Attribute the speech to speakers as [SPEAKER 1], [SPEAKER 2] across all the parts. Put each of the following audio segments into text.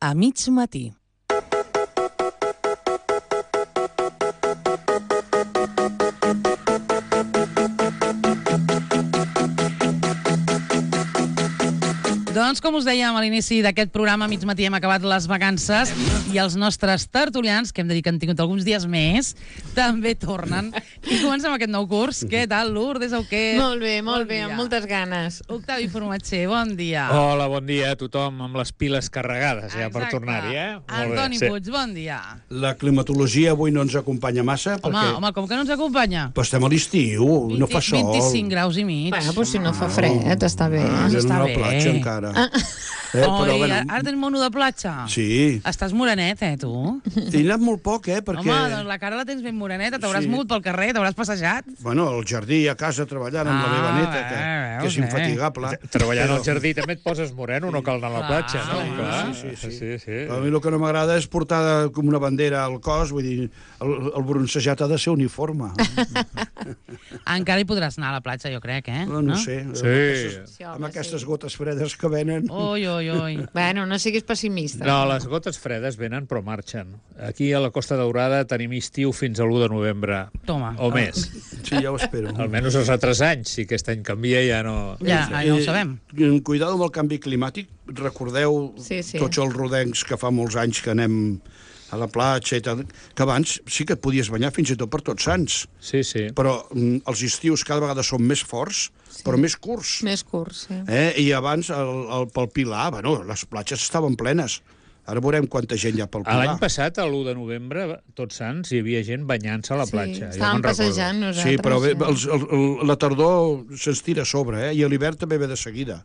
[SPEAKER 1] a mig matí. Doncs, com us dèiem a l'inici d'aquest programa, a mig matí hem acabat les vacances i els nostres tertulians, que hem de dir que han tingut alguns dies més, també tornen. I comencem aquest nou curs. Què tal, Lourdes Auqué?
[SPEAKER 2] Molt bé, amb moltes ganes.
[SPEAKER 1] Octavi Formatger, bon dia.
[SPEAKER 3] Hola, bon dia a tothom, amb les piles carregades ja per tornar-hi,
[SPEAKER 1] Antoni Puig, bon dia.
[SPEAKER 4] La climatologia avui no ens acompanya massa.
[SPEAKER 1] Home, com que no ens acompanya?
[SPEAKER 4] Però estem a l'estiu, no fa sol.
[SPEAKER 1] 25 graus i mig.
[SPEAKER 2] Bueno, doncs si no fa fred, està bé.
[SPEAKER 1] Està
[SPEAKER 4] a la
[SPEAKER 1] bé.
[SPEAKER 4] platja encara.
[SPEAKER 1] Ara tenim mono de platja.
[SPEAKER 4] Sí.
[SPEAKER 1] Estàs morenet, tu?
[SPEAKER 4] He anat molt poc, perquè...
[SPEAKER 1] Home, doncs la cara la tens ben moreneta, t'hauràs mogut pel carrer, t'hauràs passejat.
[SPEAKER 4] Bueno, al jardí, a casa, treballant amb la meva neta, que és infatigable.
[SPEAKER 3] Treballant al jardí també et poses moreno, no cal anar a la platja, no?
[SPEAKER 4] Sí. A mi el que no m'agrada és portar com una bandera al cos, vull dir, el bronzejat ha de ser uniforme.
[SPEAKER 1] Encara hi podràs anar a la platja, jo crec,
[SPEAKER 4] No sé.
[SPEAKER 3] Sí.
[SPEAKER 4] Amb aquestes gotes fredes que venen.
[SPEAKER 1] Oi.
[SPEAKER 2] Bueno, no siguis pessimista.
[SPEAKER 3] No, les gotes fredes venen però marxen. Aquí a la Costa Daurada tenim estiu fins a l'1 de novembre.
[SPEAKER 1] Toma.
[SPEAKER 3] O més.
[SPEAKER 4] Sí, ja ho espero.
[SPEAKER 3] Almenys els altres anys, si aquest any canvia ja no...
[SPEAKER 1] Ja ho sabem.
[SPEAKER 4] Cuidado amb el canvi climàtic. Recordeu tots els rodencs que fa molts anys que anem a la platja i tal, que abans sí que et podies banyar fins i tot per Tots Sants.
[SPEAKER 3] Sí.
[SPEAKER 4] Però els estius cada vegada són més forts, però més curts.
[SPEAKER 2] Més curts, sí.
[SPEAKER 4] I abans, pel Pilar, les platges estaven plenes. Ara veurem quanta gent hi ha pel Pilar.
[SPEAKER 3] L'any passat, a l'1 de novembre, Tots Sants, hi havia gent banyant-se a la platja.
[SPEAKER 2] Sí, estàvem passejant nosaltres.
[SPEAKER 4] Sí, però la tardor se'ns tira a sobre, i l'hivern també ve de seguida.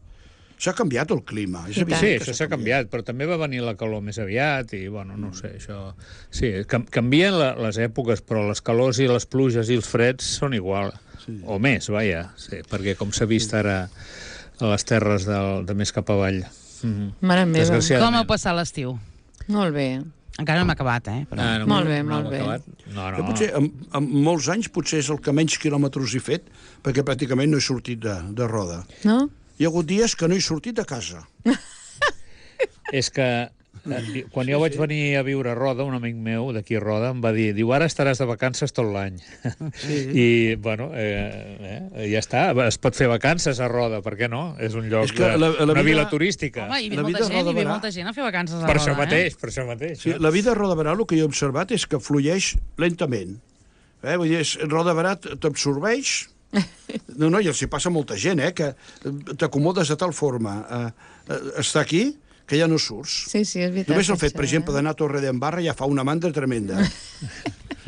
[SPEAKER 4] S'ha canviat el clima.
[SPEAKER 3] Sí, això s'ha canviat, però també va venir la calor més aviat i, bueno, no sé, això... Sí, canvien les èpoques, però les calors i les pluges i els freds són igual. O més, vaja, sí, perquè com s'ha vist ara a les terres de més cap avall.
[SPEAKER 2] Mare meva.
[SPEAKER 1] Com heu passat l'estiu?
[SPEAKER 2] Molt bé.
[SPEAKER 1] Encara no hem acabat, però...
[SPEAKER 2] Molt bé.
[SPEAKER 4] Jo potser, en molts anys, potser és el que menys quilòmetres he fet, perquè pràcticament no he sortit de Roda.
[SPEAKER 2] No?
[SPEAKER 4] Hi ha hagut dies que no he sortit de casa.
[SPEAKER 3] És que quan jo vaig venir a viure a Roda, un amic meu d'aquí a Roda em va dir, ara estaràs de vacances tot l'any. I, bueno, ja està, es pot fer vacances a Roda, per què no? És un lloc, una vila turística.
[SPEAKER 1] Home, hi ve molta gent a fer vacances a Roda.
[SPEAKER 3] Per això mateix.
[SPEAKER 4] Sí, la vida a Roda Berà, el que he observat és que flueix lentament. Vull dir, Roda Berà t'absorbeix. No, i els hi passa molta gent, que t'acomodes de tal forma estar aquí que ja no surts.
[SPEAKER 2] Sí, és veritat.
[SPEAKER 4] Només el fet, per exemple, d'anar a Torredembarra ja fa una mandra tremenda.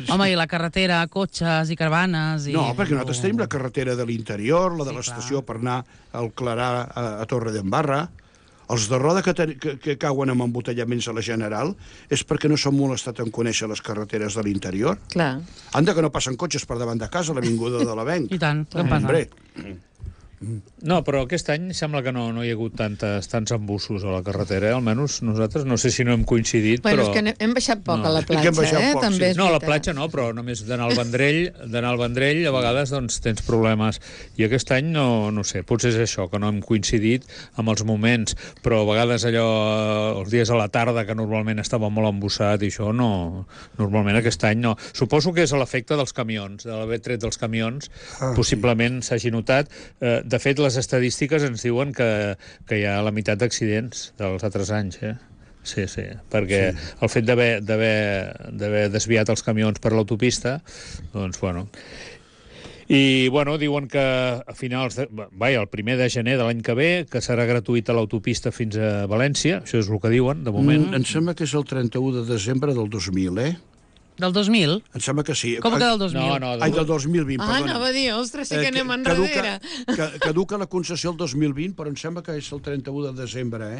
[SPEAKER 1] Home, i la carretera, cotxes i caravanes...
[SPEAKER 4] No, perquè nosaltres tenim la carretera de l'interior, la de l'estació per anar al Clarà a Torredembarra. Els de Roda que cauen amb embotellaments a la General és perquè no s'han molestat en conèixer les carreteres de l'interior.
[SPEAKER 2] Clar.
[SPEAKER 4] Anda que no passen cotxes per davant de casa, l'avinguda de l'Avenc.
[SPEAKER 1] I tant, què passa?
[SPEAKER 4] Hombre.
[SPEAKER 3] No, però aquest any sembla que no hi ha hagut tants embussos a la carretera, almenys nosaltres, no sé si no hem coincidit,
[SPEAKER 2] però...
[SPEAKER 3] Bueno,
[SPEAKER 2] és que hem baixat poc a la platja, també és veritat.
[SPEAKER 3] No, a la platja no, però només d'anar al Vendrell, a vegades doncs tens problemes. I aquest any no sé, potser és això, que no hem coincidit amb els moments, però a vegades allò, els dies a la tarda, que normalment estava molt embussat i això, no, normalment aquest any no. Suposo que és l'efecte dels camions, de l'haver tret dels camions, possiblement s'hagi notat. De fet, les estadístiques ens diuen que hi ha la meitat d'accidents dels altres anys, Sí, perquè el fet d'haver desviat els camions per l'autopista, doncs, bueno... I, bueno, diuen que a finals el 1 de gener de l'any que ve, que serà gratuïta l'autopista fins a València, això és el que diuen, de moment.
[SPEAKER 4] Em sembla que és el 31 de desembre del 2000,
[SPEAKER 1] Del 2000?
[SPEAKER 4] Em sembla que sí.
[SPEAKER 1] Com que del 2000?
[SPEAKER 3] No,
[SPEAKER 4] del 2020, perdona.
[SPEAKER 2] Anava a dir, ostres, sí que anem enrere.
[SPEAKER 4] Caduca la concessió el 2020, però em sembla que és el 31 de desembre,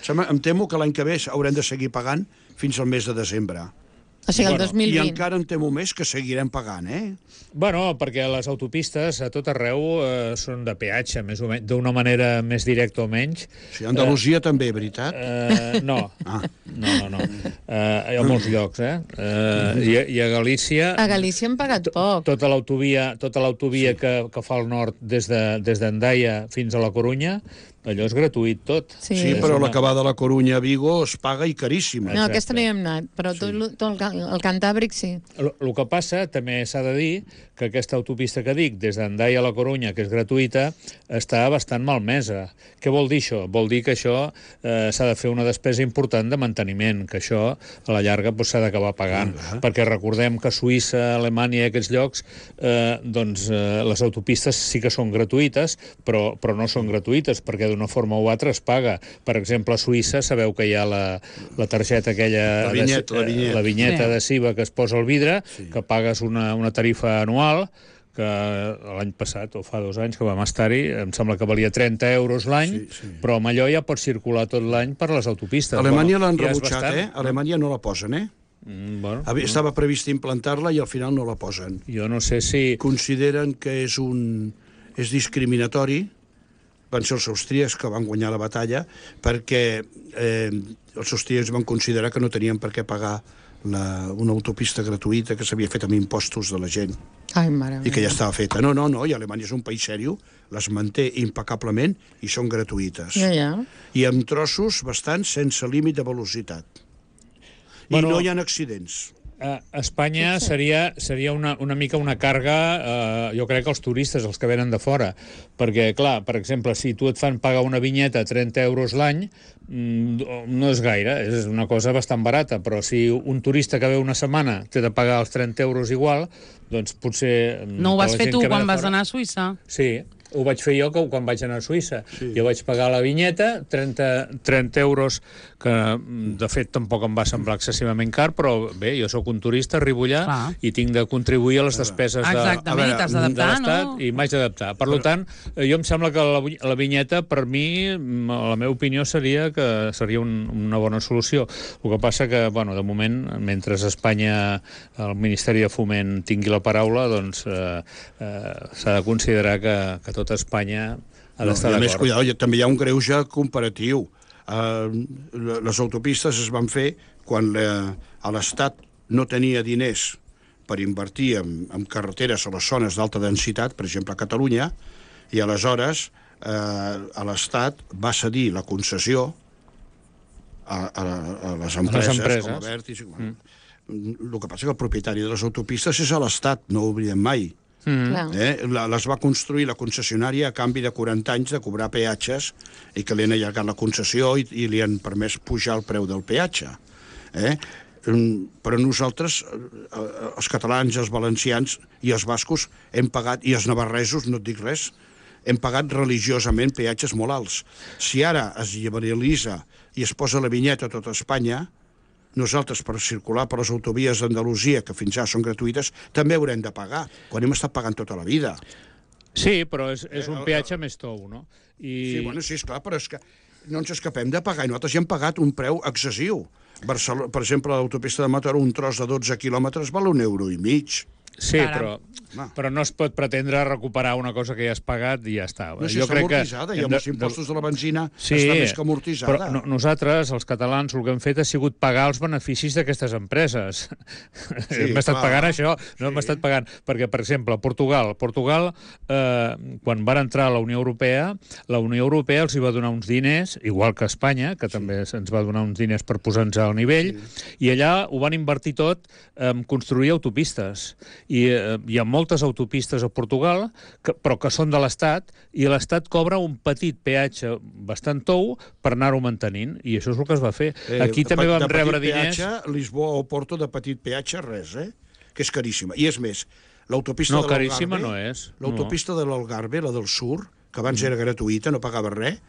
[SPEAKER 4] Em temo que l'any que ve haurem de seguir pagant fins al mes de desembre.
[SPEAKER 2] O sigui, el 2020.
[SPEAKER 4] I encara em temo més que seguirem pagant,
[SPEAKER 3] Bueno, perquè les autopistes a tot arreu són de peatge, més o menys, d'una manera més directa o menys.
[SPEAKER 4] Sí, Andalusia també, veritat?
[SPEAKER 3] No. No. A molts llocs, I a Galícia...
[SPEAKER 2] A Galícia hem pagat poc.
[SPEAKER 3] Tota l'autovia que fa al nord des d'Hendaia fins a la Corunya, allò és gratuït tot.
[SPEAKER 4] Sí, però la que va de la Corunya a Vigo es paga i caríssima.
[SPEAKER 2] No, aquesta no hi hem anat, però tot el Cantàbric sí.
[SPEAKER 3] El que passa, també s'ha de dir, que aquesta autopista que dic, des d'Hendaia a la Corunya, que és gratuïta, està bastant malmesa. Què vol dir això? Vol dir que això s'ha de fer una despesa important de manteniment, que això a la llarga s'ha d'acabar pagant. Perquè recordem que a Suïssa, Alemanya i aquests llocs, les autopistes sí que són gratuïtes, però no són gratuïtes, perquè d'una forma o altra es paga. Per exemple, a Suïssa sabeu que hi ha la targeta aquella... La vinyeta adhesiva que es posa al vidre, que pagues una tarifa anual, que l'any passat, o fa 2 anys que vam estar-hi, em sembla que valia 30 euros l'any, però amb allò ja pots circular tot l'any per les autopistes.
[SPEAKER 4] A Alemanya l'han rebutjat, A Alemanya no la posen, Estava previst implantar-la i al final no la posen.
[SPEAKER 3] Jo no sé si...
[SPEAKER 4] Consideren que és discriminatori. Van ser els austríacs que van guanyar la batalla, perquè els austríacs van considerar que no tenien per què pagar una autopista gratuïta que s'havia fet amb impostos de la gent.
[SPEAKER 2] Ai, mare meva.
[SPEAKER 4] I que ja estava feta. No, i Alemanya és un país seriós, les manté impecablement i són gratuïtes. I amb trossos bastants sense límit de velocitat. I no hi ha accidents.
[SPEAKER 3] A Espanya seria una mica una càrrega, jo crec, als turistes, els que venen de fora. Perquè, clar, per exemple, si tu et fan pagar una vinyeta a 30 euros l'any, no és gaire, és una cosa bastant barata, però si un turista que ve una setmana té de pagar els 30 euros igual, doncs potser...
[SPEAKER 1] No ho vas fer tu quan vas anar a Suïssa?
[SPEAKER 3] Sí, ho vaig fer jo quan vaig anar a Suïssa. Jo vaig pagar la vinyeta, 30 euros, que de fet tampoc em va semblar excessivament car, però bé, jo sóc un turista, arribo allà i tinc de contribuir a les despeses de l'Estat i m'haig d'adaptar. Per tant, jo em sembla que la vinyeta, per mi, la meva opinió seria que seria una bona solució. El que passa que, de moment, mentre a Espanya el Ministeri de Foment tingui la paraula, doncs s'ha de considerar que tot Espanya ha d'estar d'acord.
[SPEAKER 4] A més, cuidado, també hi ha un greuge comparatiu. Les autopistes es van fer quan l'Estat no tenia diners per invertir en carreteres a les zones d'alta densitat, per exemple a Catalunya, i aleshores l'Estat va cedir la concessió a les empreses com Abertis. El que passa que el propietari de les autopistes és l'Estat, no ho oblidem mai. Les va construir la concessionària a canvi de 40 anys de cobrar peatges i que li han allargat la concessió i li han permès pujar el preu del peatge. Però nosaltres, els catalans, els valencians i els bascos hem pagat, i els navarresos, no et dic res, hem pagat religiosament peatges molt alts. Si ara es liberalitza i es posa la vinyeta a tota Espanya, nosaltres, per circular per les autovies d'Andalusia, que fins ara són gratuïtes, també haurem de pagar, quan hem estat pagant tota la vida.
[SPEAKER 3] Sí, però és un peatge més tou, no?
[SPEAKER 4] Sí, esclar, però és que no ens escapem de pagar, i nosaltres ja hem pagat un preu excessiu. Per exemple, l'autopista de Mataró, un tros de 12 quilòmetres val €1,50.
[SPEAKER 3] Sí, però no es pot pretendre recuperar una cosa que ja has pagat i ja està.
[SPEAKER 4] No, si està amortitzada, i amb els impostos de la benzina està més que amortitzada.
[SPEAKER 3] Però nosaltres, els catalans, el que hem fet ha sigut pagar els beneficis d'aquestes empreses. Hem estat pagant això, no hem estat pagant. Perquè, per exemple, Portugal, quan van entrar a la Unió Europea, la Unió Europea els hi va donar uns diners, igual que Espanya, que també ens va donar uns diners per posar-nos al nivell, i allà ho van invertir tot en construir autopistes. I hi ha moltes autopistes a Portugal, però que són de l'Estat, i l'Estat cobra un petit peatge bastant tou per anar-ho mantenint, i això és el que es va fer. Aquí també vam rebre diners...
[SPEAKER 4] Lisboa o Porto, de petit peatge, res, que és caríssima. I és més, l'autopista de l'Algarve...
[SPEAKER 3] No, caríssima no és.
[SPEAKER 4] L'autopista de l'Algarve, la del Sur, que abans era gratuïta, no pagava res,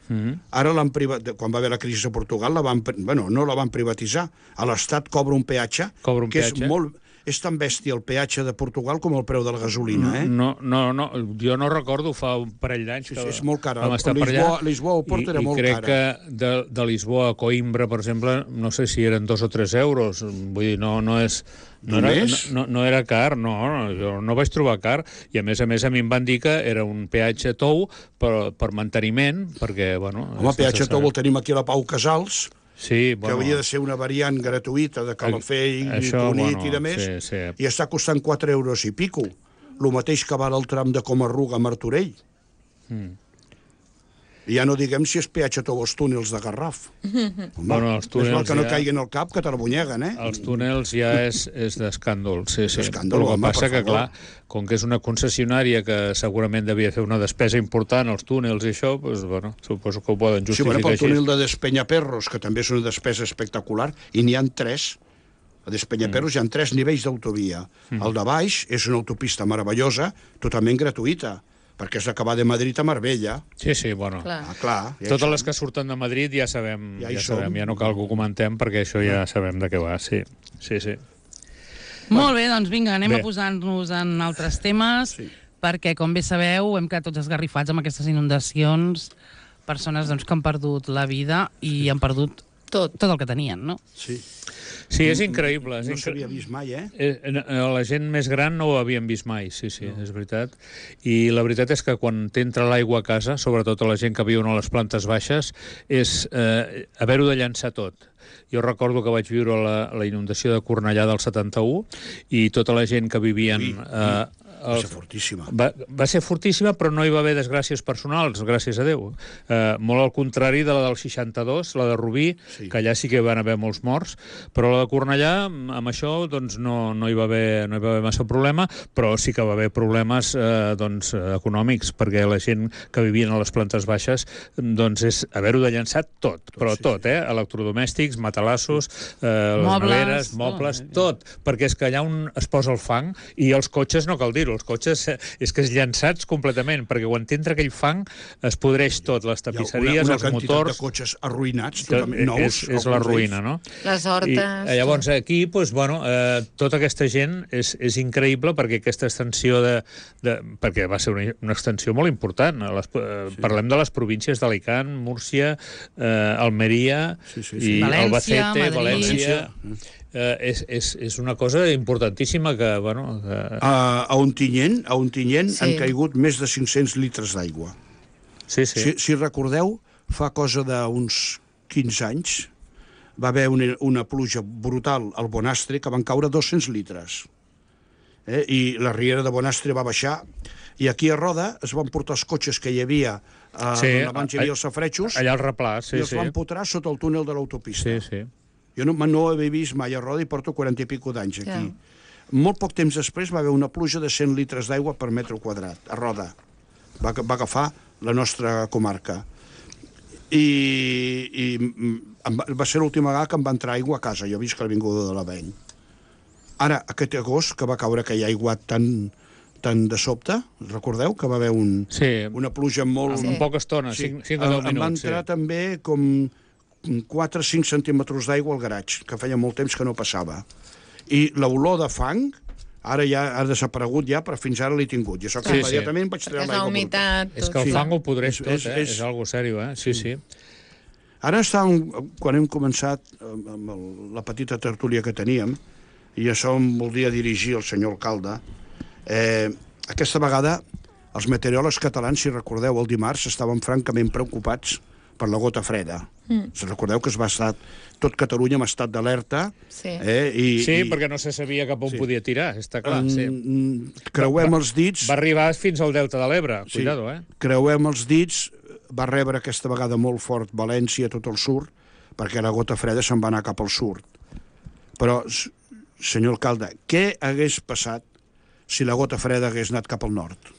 [SPEAKER 4] ara quan va haver la crisi a Portugal, no la van privatitzar. A l'Estat cobra un peatge que és molt... És tan bèstia el peatge de Portugal com el preu de la gasolina,
[SPEAKER 3] No, jo no recordo, fa un parell d'anys que
[SPEAKER 4] és molt cara.
[SPEAKER 3] vam estar per allà.
[SPEAKER 4] Lisboa o Porto era molt cara.
[SPEAKER 3] I crec que de Lisboa a Coimbra, per exemple, no sé si eren 2 o 3 euros. Vull dir, no és... No era car, jo no vaig trobar car, i a més mi em van dir que era un peatge tou per manteniment, perquè,
[SPEAKER 4] Home, peatge tou el tenim aquí a la Pau Casals,
[SPEAKER 3] que
[SPEAKER 4] hauria de ser una variant gratuïta de Calafell i Cunit i de més, i està costant 4 euros i pico, el mateix que val el tram de Comarruga a Martorell. I ja no diguem si és peatge tot els túnels de Garraf.
[SPEAKER 3] Bueno, els túnels
[SPEAKER 4] és mal que no
[SPEAKER 3] ja-
[SPEAKER 4] caiguin al cap, que t'arbonyeguen,
[SPEAKER 3] Els túnels ja és d'escàndol, sí.
[SPEAKER 4] D'escàndol,
[SPEAKER 3] Però el que
[SPEAKER 4] home,
[SPEAKER 3] passa
[SPEAKER 4] per
[SPEAKER 3] que,
[SPEAKER 4] favor.
[SPEAKER 3] clar, com que és una concessionària que segurament devia fer una despesa important als túnels i això, doncs, bueno, suposo que ho poden
[SPEAKER 4] Sí,
[SPEAKER 3] justificar
[SPEAKER 4] bueno, pel
[SPEAKER 3] així.
[SPEAKER 4] túnel de Despenyaperros, que també és una despesa espectacular, i n'hi ha 3. A Despenyaperros hi ha 3 nivells d'autovia. El de baix és una autopista meravellosa, totalment gratuïta, perquè és acabar de Madrid a Marbella.
[SPEAKER 3] Sí, bueno.
[SPEAKER 2] Clar.
[SPEAKER 4] Clar. Ja
[SPEAKER 3] Totes les que surten de Madrid ja sabem,
[SPEAKER 4] Ja hi
[SPEAKER 3] ja sabem,
[SPEAKER 4] som.
[SPEAKER 3] ja no cal que ho comentem perquè això ja sabem de què va, sí.
[SPEAKER 1] Molt bé, doncs vinga, anem
[SPEAKER 3] Bé.
[SPEAKER 1] a posar-nos en altres temes, perquè, com bé sabeu, hem quedat tots esgarrifats amb aquestes inundacions, persones doncs, que han perdut la vida i han perdut
[SPEAKER 2] Tot.
[SPEAKER 1] el que tenien, no?
[SPEAKER 4] Sí.
[SPEAKER 3] Sí, és increïble.
[SPEAKER 4] No s'havia vist mai, eh?
[SPEAKER 3] La gent més gran no ho havíem vist mai, sí, és veritat. I la veritat és que quan t'entra l'aigua a casa, sobretot a la gent que viuen a les plantes baixes, és haver-ho de llançar tot. Jo recordo que vaig viure la inundació de Cornellà del 71 i tota la gent que vivien...
[SPEAKER 4] Va ser fortíssima.
[SPEAKER 3] Va ser fortíssima, però no hi va haver desgràcies personals, gràcies a Déu. Molt al contrari de la del 62, la de Rubí, que allà sí que van haver molts morts, però la de Cornellà, amb això, doncs, no hi va haver massa problema, però sí que va haver problemes econòmics, perquè la gent que vivien a les plantes baixes doncs és haver-ho de llançar tot, però tot, electrodomèstics, matalassos, les neveres, mobles, tot, perquè és que allà on es posa el fang, i els cotxes no cal dir-ho, els cotxes és que és llançats completament, perquè quan t'entra aquell fang es podreix tot, les tapisseries, els motors...
[SPEAKER 4] Una quantitat de cotxes arruïnats, totalment nous.
[SPEAKER 3] És la ruïna, no?
[SPEAKER 2] Les hortes...
[SPEAKER 3] I llavors aquí, doncs, bueno, tota aquesta gent és increïble perquè aquesta extensió perquè va ser una extensió molt important. Parlem de les províncies d'Alicant, Múrcia, Almeria i Albacete, València... És una cosa importantíssima que, bueno...
[SPEAKER 4] A Ontinyent han caigut més de 500 litres d'aigua.
[SPEAKER 3] Sí.
[SPEAKER 4] Si recordeu, fa cosa d'uns 15 anys, va haver una pluja brutal al Bonastre que van caure 200 litres. I la riera de Bonastre va baixar, i aquí a Roda es van portar els cotxes que hi havia on abans hi havia els safaretjos,
[SPEAKER 3] allà al replà,
[SPEAKER 4] i els van potrar sota el túnel de l'autopista.
[SPEAKER 3] Sí.
[SPEAKER 4] Jo no ho havia vist mai a Roda i porto 40 i pico d'anys aquí. Molt poc temps després va haver una pluja de 100 litres d'aigua per metre quadrat, a Roda. Va agafar la nostra comarca. I va ser l'última vegada que em va entrar aigua a casa. Jo he vist que l'Avinguda de l'Avenc. Ara, aquest agost, que va caure aquell aigua tan de sobte, recordeu que va haver una pluja molt...
[SPEAKER 3] En poca estona, 5 o 10 minuts.
[SPEAKER 4] Em va entrar també com 4 o 5 centímetres d'aigua al garatge, que feia molt temps que no passava. I l'olor de fang, ara ja ha desaparegut ja, però fins ara l'he tingut. I això que immediatament vaig treure l'aigua bruta.
[SPEAKER 3] És que el fang ho podreix tot, és algo seriós, Sí.
[SPEAKER 4] Ara quan hem començat amb la petita tertúlia que teníem, i això em voldria dirigir al senyor alcalde, aquesta vegada els meteoròlegs catalans, si recordeu, el dimarts estaven francament preocupats per la gota freda. Si recordeu que es va estar tot Catalunya en estat d'alerta.
[SPEAKER 2] Sí,
[SPEAKER 3] perquè no se sabia cap on podia tirar, està clar.
[SPEAKER 4] Creuem els dits...
[SPEAKER 3] Va arribar fins al Delta de l'Ebre, cuidado,
[SPEAKER 4] Creuem els dits, va rebre aquesta vegada molt fort València, tot el sud, perquè la gota freda se'n va anar cap al sud. Però, senyor alcalde, què hagués passat si la gota freda hagués anat cap al nord?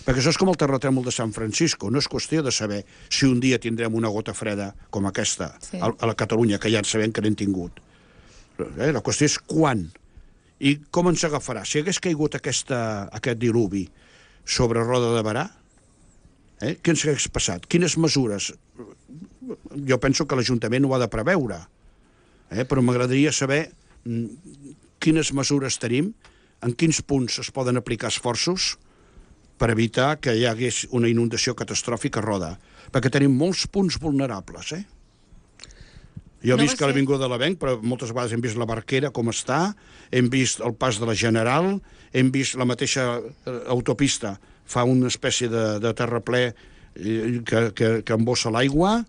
[SPEAKER 4] Perquè això és com el terratrèmol de San Francisco. No és qüestió de saber si un dia tindrem una gota freda com aquesta a la Catalunya, que ja sabem que n'hem tingut. La qüestió és quan i com ens agafarà. Si hagués caigut aquest diluvi sobre Roda de Berà, què ens hagués passat? Quines mesures? Jo penso que l'Ajuntament ho ha de preveure, però m'agradaria saber quines mesures tenim, en quins punts es poden aplicar esforços per evitar que hi hagués una inundació catastròfica a Roda, perquè tenim molts punts vulnerables, Jo he vist que l'Avinguda de l'Avenc, però moltes vegades hem vist la Barquera com està, hem vist el pas de la General, hem vist la mateixa autopista, fa una espècie de terraplè que embossa l'aigua,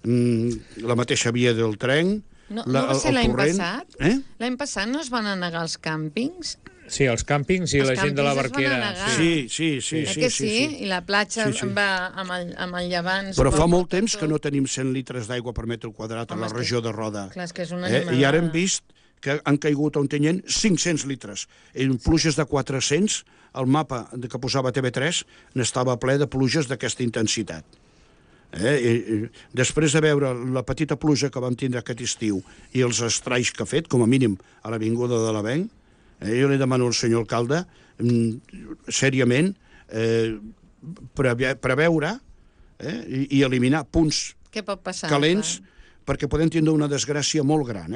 [SPEAKER 4] la mateixa via del tren...
[SPEAKER 2] No va ser l'any passat? L'any passat no es van anegar els càmpings?
[SPEAKER 3] Sí, els càmpings i
[SPEAKER 2] Els
[SPEAKER 3] la gent de la
[SPEAKER 2] càmpings es van
[SPEAKER 3] barquera.
[SPEAKER 2] negar.
[SPEAKER 4] Sí.
[SPEAKER 2] Que sí? I la platja
[SPEAKER 4] Sí.
[SPEAKER 2] va amb el llevant...
[SPEAKER 4] Però fa molt temps que no tenim 100 litres d'aigua per metre quadrat a la regió de Roda.
[SPEAKER 2] Clar, és que és una
[SPEAKER 4] I ara hem vist que han caigut a Ontinyent 500 litres. En pluges de 400, el mapa que posava TV3 n'estava ple de pluges d'aquesta intensitat. I després de veure la petita pluja que vam tindre aquest estiu i els estralls que ha fet, com a mínim a l'Avinguda de l'Avenc, jo li demano al senyor alcalde, sèriament, preveure i eliminar punts
[SPEAKER 2] Què pot passar?
[SPEAKER 4] calents, perquè podem tindre una desgràcia molt gran,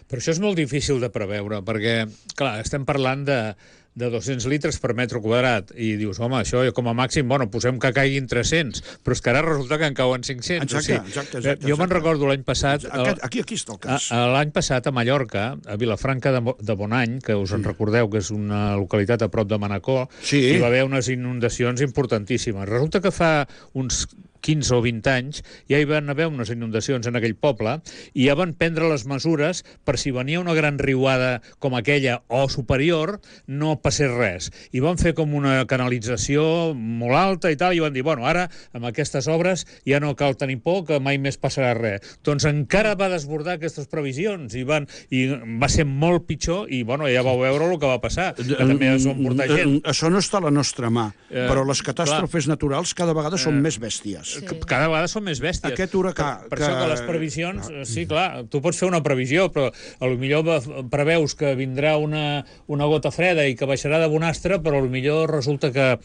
[SPEAKER 3] Però això és molt difícil de preveure, perquè, clar, estem parlant de 200 litres per metre quadrat, i dius, home, això com a màxim, bueno, posem que caiguin 300, però és que ara resulta que en cauen 500.
[SPEAKER 4] Exacte.
[SPEAKER 3] Jo me'n recordo l'any passat...
[SPEAKER 4] Aquí està el cas.
[SPEAKER 3] L'any passat a Mallorca, a Vilafranca de Bonany, que us en recordeu que és una localitat a prop de Manacor, hi va haver unes inundacions importantíssimes. Resulta que fa uns 15 o 20 anys, ja hi van haver unes inundacions en aquell poble i ja van prendre les mesures per si venia una gran riuada com aquella o superior, no passés res. I van fer com una canalització molt alta i tal, i van dir, bueno, ara amb aquestes obres ja no cal tenir por, que mai més passarà res. Doncs encara va desbordar aquestes previsions i va ser molt pitjor i, bueno, ja vau veure el que va passar, que també es van portar gent.
[SPEAKER 4] Això no està a la nostra mà, però les catàstrofes naturals cada vegada són més bèsties.
[SPEAKER 3] Sí. Cada vegada són més bèsties.
[SPEAKER 4] Aquest huracà...
[SPEAKER 3] Per això que les previsions... Sí, clar, tu pots fer una previsió, però potser preveus que vindrà una gota freda i que baixarà de bonastre, però potser resulta que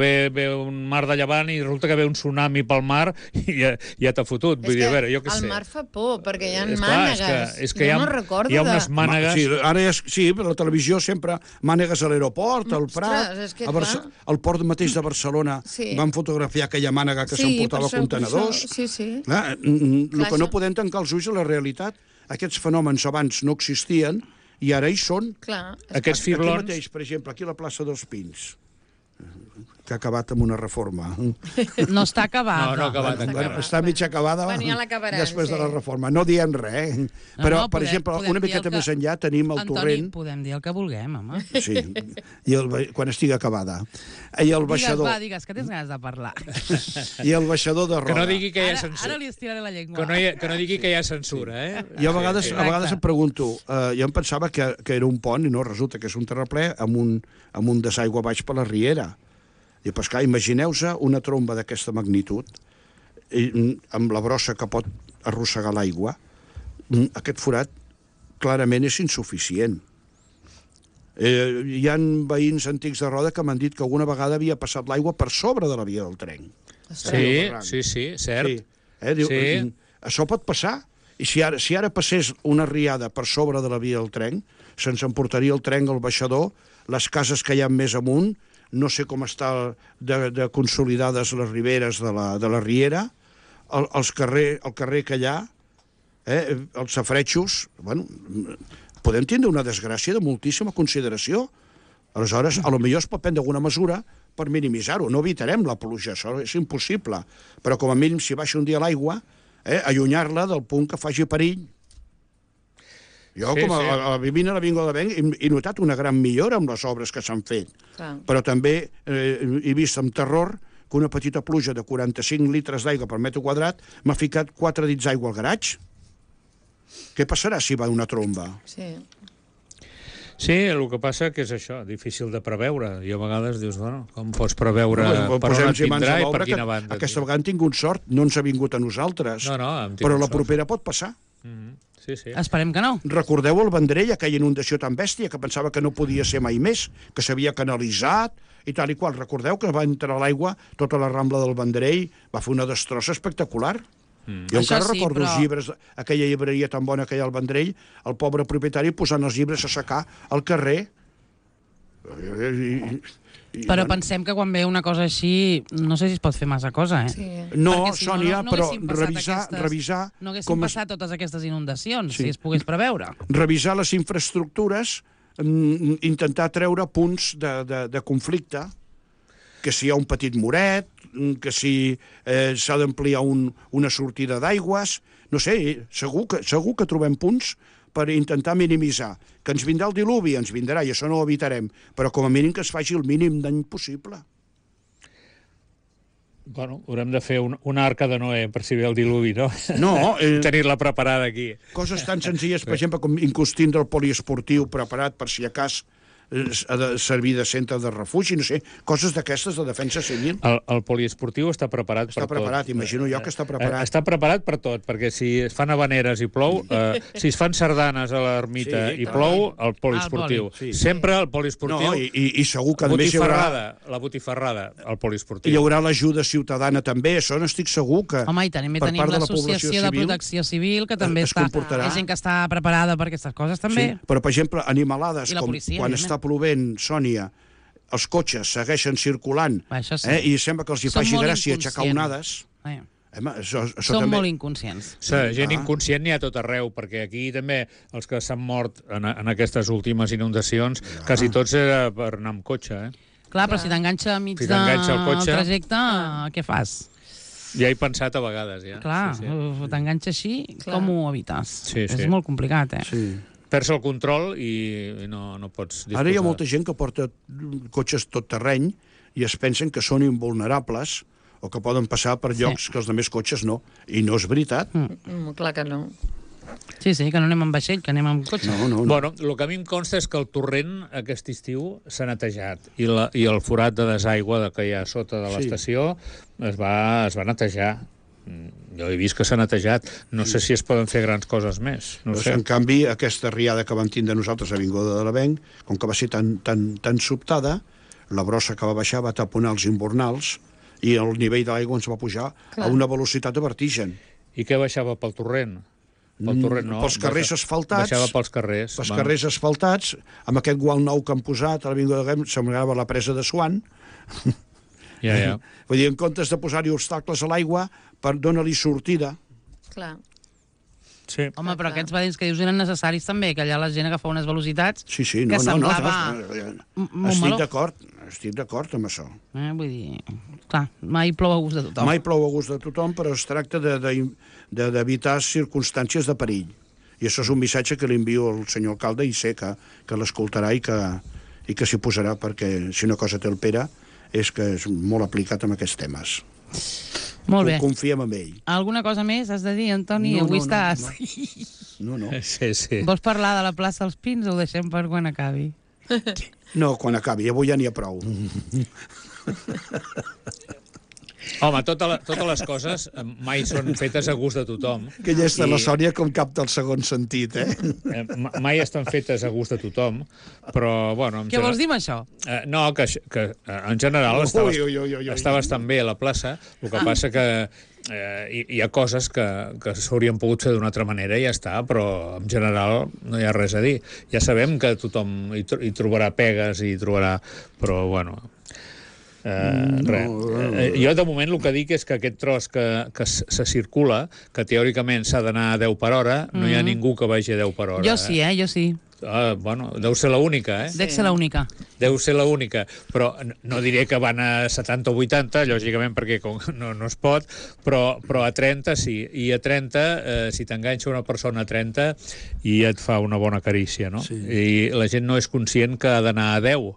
[SPEAKER 3] ve un mar de llevant i resulta que ve un tsunami pel mar i ja t'ha fotut. Vull dir, a veure, jo què sé.
[SPEAKER 2] El mar fa por, perquè hi ha mànegues.
[SPEAKER 3] És que
[SPEAKER 2] jo no recordo
[SPEAKER 3] hi ha unes mànegues...
[SPEAKER 4] Sí, per la televisió sempre mànegues a l'aeroport, al Prat, al port mateix de Barcelona van fotografiar aquella mànega que s'emportava contenedors. El que no podem tancar els ulls a la realitat. Aquests fenòmens abans no existien i ara hi són.
[SPEAKER 3] Aquests fiblons...
[SPEAKER 4] Aquí mateix, per exemple, aquí a la plaça dels Pins, que ha acabat amb una reforma.
[SPEAKER 1] No està acabada.
[SPEAKER 3] No ha acabat encara.
[SPEAKER 4] Està mig acabada després de la reforma. No diem res, Però, per exemple, una miqueta més enllà tenim el torrent...
[SPEAKER 1] Antoni, podem dir el que vulguem, home.
[SPEAKER 4] Sí, quan estigui acabada. I el baixador...
[SPEAKER 1] Digues, que tens ganes de parlar.
[SPEAKER 4] I el baixador de Roda.
[SPEAKER 3] Que no digui que hi ha censura.
[SPEAKER 1] Ara li estiraré la llengua.
[SPEAKER 3] Que no digui que hi ha censura,
[SPEAKER 4] Jo a vegades em pregunto, jo em pensava que era un pont i no, resulta que és un terraplè amb un desaigua baix per la riera. I pues clar, imagineu-se una tromba d'aquesta magnitud amb la brossa que pot arrossegar l'aigua. Aquest forat clarament és insuficient. Hi ha veïns antics de Roda que m'han dit que alguna vegada havia passat l'aigua per sobre de la via del tren.
[SPEAKER 3] Sí, cert.
[SPEAKER 4] Això pot passar. I si ara passés una riada per sobre de la via del tren, se'ns emportaria el tren al baixador, les cases que hi ha més amunt, no sé com està de consolidades les riberes de la riera, el carrer que hi ha, els safaretjos, bueno, podem tindre una desgràcia de moltíssima consideració. Aleshores, potser es pot prendre alguna mesura per minimitzar-ho. No evitarem la pluja, això és impossible. Però com a mínim, si baixa un dia l'aigua, allunyar-la del punt que faci perill. Jo, vivint a l'Avinguda de l'Avenc, he notat una gran millora amb les obres que s'han fet. Però també he vist amb terror que una petita pluja de 45 litres d'aigua per metre quadrat m'ha ficat 4 dits d'aigua al garatge. Què passarà si va una tromba?
[SPEAKER 3] Sí, el que passa que és això, difícil de preveure. I a vegades dius, bueno, com pots preveure per on et vindrà i per quina banda?
[SPEAKER 4] Aquesta vegada hem tingut sort, no ens ha vingut a nosaltres. Però la propera pot passar.
[SPEAKER 3] Sí.
[SPEAKER 1] Esperem que no.
[SPEAKER 4] Recordeu el Vendrell, aquella inundació tan bèstia que pensava que no podia ser mai més, que s'havia canalitzat i tal i qual. Recordeu que va entrar l'aigua, tota la Rambla del Vendrell, va fer una destrossa espectacular. Jo encara recordo els llibres, aquella llibreria tan bona que hi ha al Vendrell, el pobre propietari posant els llibres a secar al carrer.
[SPEAKER 1] Però pensem que quan ve una cosa així, no sé si es pot fer massa cosa,
[SPEAKER 4] No, Sònia, però revisar...
[SPEAKER 1] No haguessin passat totes aquestes inundacions, si es pogués preveure.
[SPEAKER 4] Revisar les infraestructures, intentar treure punts de conflicte, que si hi ha un petit moret, que si s'ha d'ampliar una sortida d'aigües, no sé, segur que trobem punts per intentar minimitzar. Que ens vindrà el diluvi, ens vindrà, i això no ho evitarem, però com a mínim que es faci el mínim dany possible.
[SPEAKER 3] Bueno, haurem de fer una arca de Noé per si ve el diluvi, no?
[SPEAKER 4] No,
[SPEAKER 3] tenir-la preparada aquí.
[SPEAKER 4] coses tan senzilles, per exemple, com inclús tindre el poliesportiu preparat per si a cas ha de servir de centre de refugi, no sé, coses d'aquestes de defensa civil.
[SPEAKER 3] El poliesportiu està preparat per tot.
[SPEAKER 4] Està preparat, imagino jo que està preparat.
[SPEAKER 3] Està preparat per tot, perquè si es fan habaneres i plou, si es fan sardanes a l'ermita i plou, el poliesportiu. Sempre el poliesportiu.
[SPEAKER 4] No, i segur que a més hi haurà...
[SPEAKER 3] La botifarrada, el poliesportiu.
[SPEAKER 4] Hi haurà l'ajuda ciutadana també, això n'estic segur que...
[SPEAKER 1] Home, i també tenim l'Associació de Protecció Civil, que també està... Hi ha gent que està preparada per aquestes coses, també.
[SPEAKER 4] Sí, però, per exemple, animalades, com quan està plovent, Sònia, els cotxes segueixen circulant, i sembla que els hi faci gràcia aixecar onades.
[SPEAKER 1] Som molt inconscients.
[SPEAKER 3] Gent inconscient n'hi ha tot arreu, perquè aquí també els que s'han mort en aquestes últimes inundacions, quasi tots era per anar amb cotxe,
[SPEAKER 1] Clar, però si t'enganxa a mig del trajecte, què fas?
[SPEAKER 3] Ja he pensat a vegades, ja.
[SPEAKER 1] Clar, t'enganxa així, com ho evites? És molt complicat,
[SPEAKER 4] Sí.
[SPEAKER 3] Perds el control i no pots disposar.
[SPEAKER 4] Ara hi ha molta gent que porta cotxes tot terreny i es pensen que són invulnerables o que poden passar per llocs que els altres cotxes no. I no és veritat.
[SPEAKER 2] Clar que no.
[SPEAKER 1] Sí, que no anem amb vaixell, que anem amb cotxe.
[SPEAKER 4] No.
[SPEAKER 3] Bueno, el que a mi em consta és que el torrent aquest estiu s'ha netejat i el forat de desaigua que hi ha sota de l'estació es va netejar. Jo he vist que s'ha netejat. No sé si es poden fer grans coses més. No sé.
[SPEAKER 4] En canvi, aquesta riada que vam tindre nosaltres a Avinguda de l'Avenc, com que va ser tan sobtada, la brossa que va baixar va taponar els invernals i el nivell de l'aigua ens va pujar a una velocitat de vertigen.
[SPEAKER 3] I què baixava pel torrent? Pel torrent no.
[SPEAKER 4] Pels carrers asfaltats.
[SPEAKER 3] Baixava pels carrers.
[SPEAKER 4] Pels carrers asfaltats, amb aquest gual nou que han posat a l'Avinguda de l'Avenc, semblava la presa de Swan.
[SPEAKER 3] Ja.
[SPEAKER 4] Vull dir, en comptes de posar-hi obstacles a l'aigua, per donar-li sortida.
[SPEAKER 2] Clar.
[SPEAKER 3] Sí.
[SPEAKER 1] Home, però aquests badins que dius eren necessaris també, que allà la gent agafava unes velocitats
[SPEAKER 4] que
[SPEAKER 1] semblava...
[SPEAKER 4] Estic d'acord amb això.
[SPEAKER 1] Vull dir, clar, mai plou a gust de tothom.
[SPEAKER 4] Mai plou a gust de tothom, però es tracta d'evitar circumstàncies de perill. I això és un missatge que li envio al senyor alcalde i sé que l'escoltarà i que s'hi posarà, perquè si una cosa té el Pere és que és molt aplicat en aquests temes.
[SPEAKER 1] Molt bé.
[SPEAKER 4] Confiem en ell.
[SPEAKER 1] Alguna cosa més has de dir, Antoni? Avui estàs...
[SPEAKER 4] No.
[SPEAKER 3] Sí.
[SPEAKER 1] Vols parlar de la plaça dels Pins o ho deixem per quan acabi?
[SPEAKER 4] No, quan acabi. Avui ja n'hi ha prou.
[SPEAKER 3] Home, totes les coses mai són fetes a gust de tothom.
[SPEAKER 4] Que ja està la Sònia com capta el segon sentit,
[SPEAKER 3] Mai estan fetes a gust de tothom, però, bueno...
[SPEAKER 1] Què vols dir amb això?
[SPEAKER 3] No, que en general està bastant bé a la plaça, el que passa que hi ha coses que s'haurien pogut fer d'una altra manera i ja està, però en general no hi ha res a dir. Ja sabem que tothom hi trobarà pegues i hi trobarà... Però, bueno... Jo de moment el que dic és que aquest tros que se circula, que teòricament s'ha d'anar a 10 per hora, no hi ha ningú que vagi a 10 per hora.
[SPEAKER 1] Jo sí, jo sí.
[SPEAKER 3] Bueno, deu ser l'única,
[SPEAKER 1] Dec ser l'única.
[SPEAKER 3] Deu ser l'única, però no diré que van a 70 o 80, lògicament, perquè no es pot, però a 30 sí. I a 30, si t'enganxa una persona a 30, i et fa una bona carícia, no? I la gent no és conscient que ha d'anar a 10.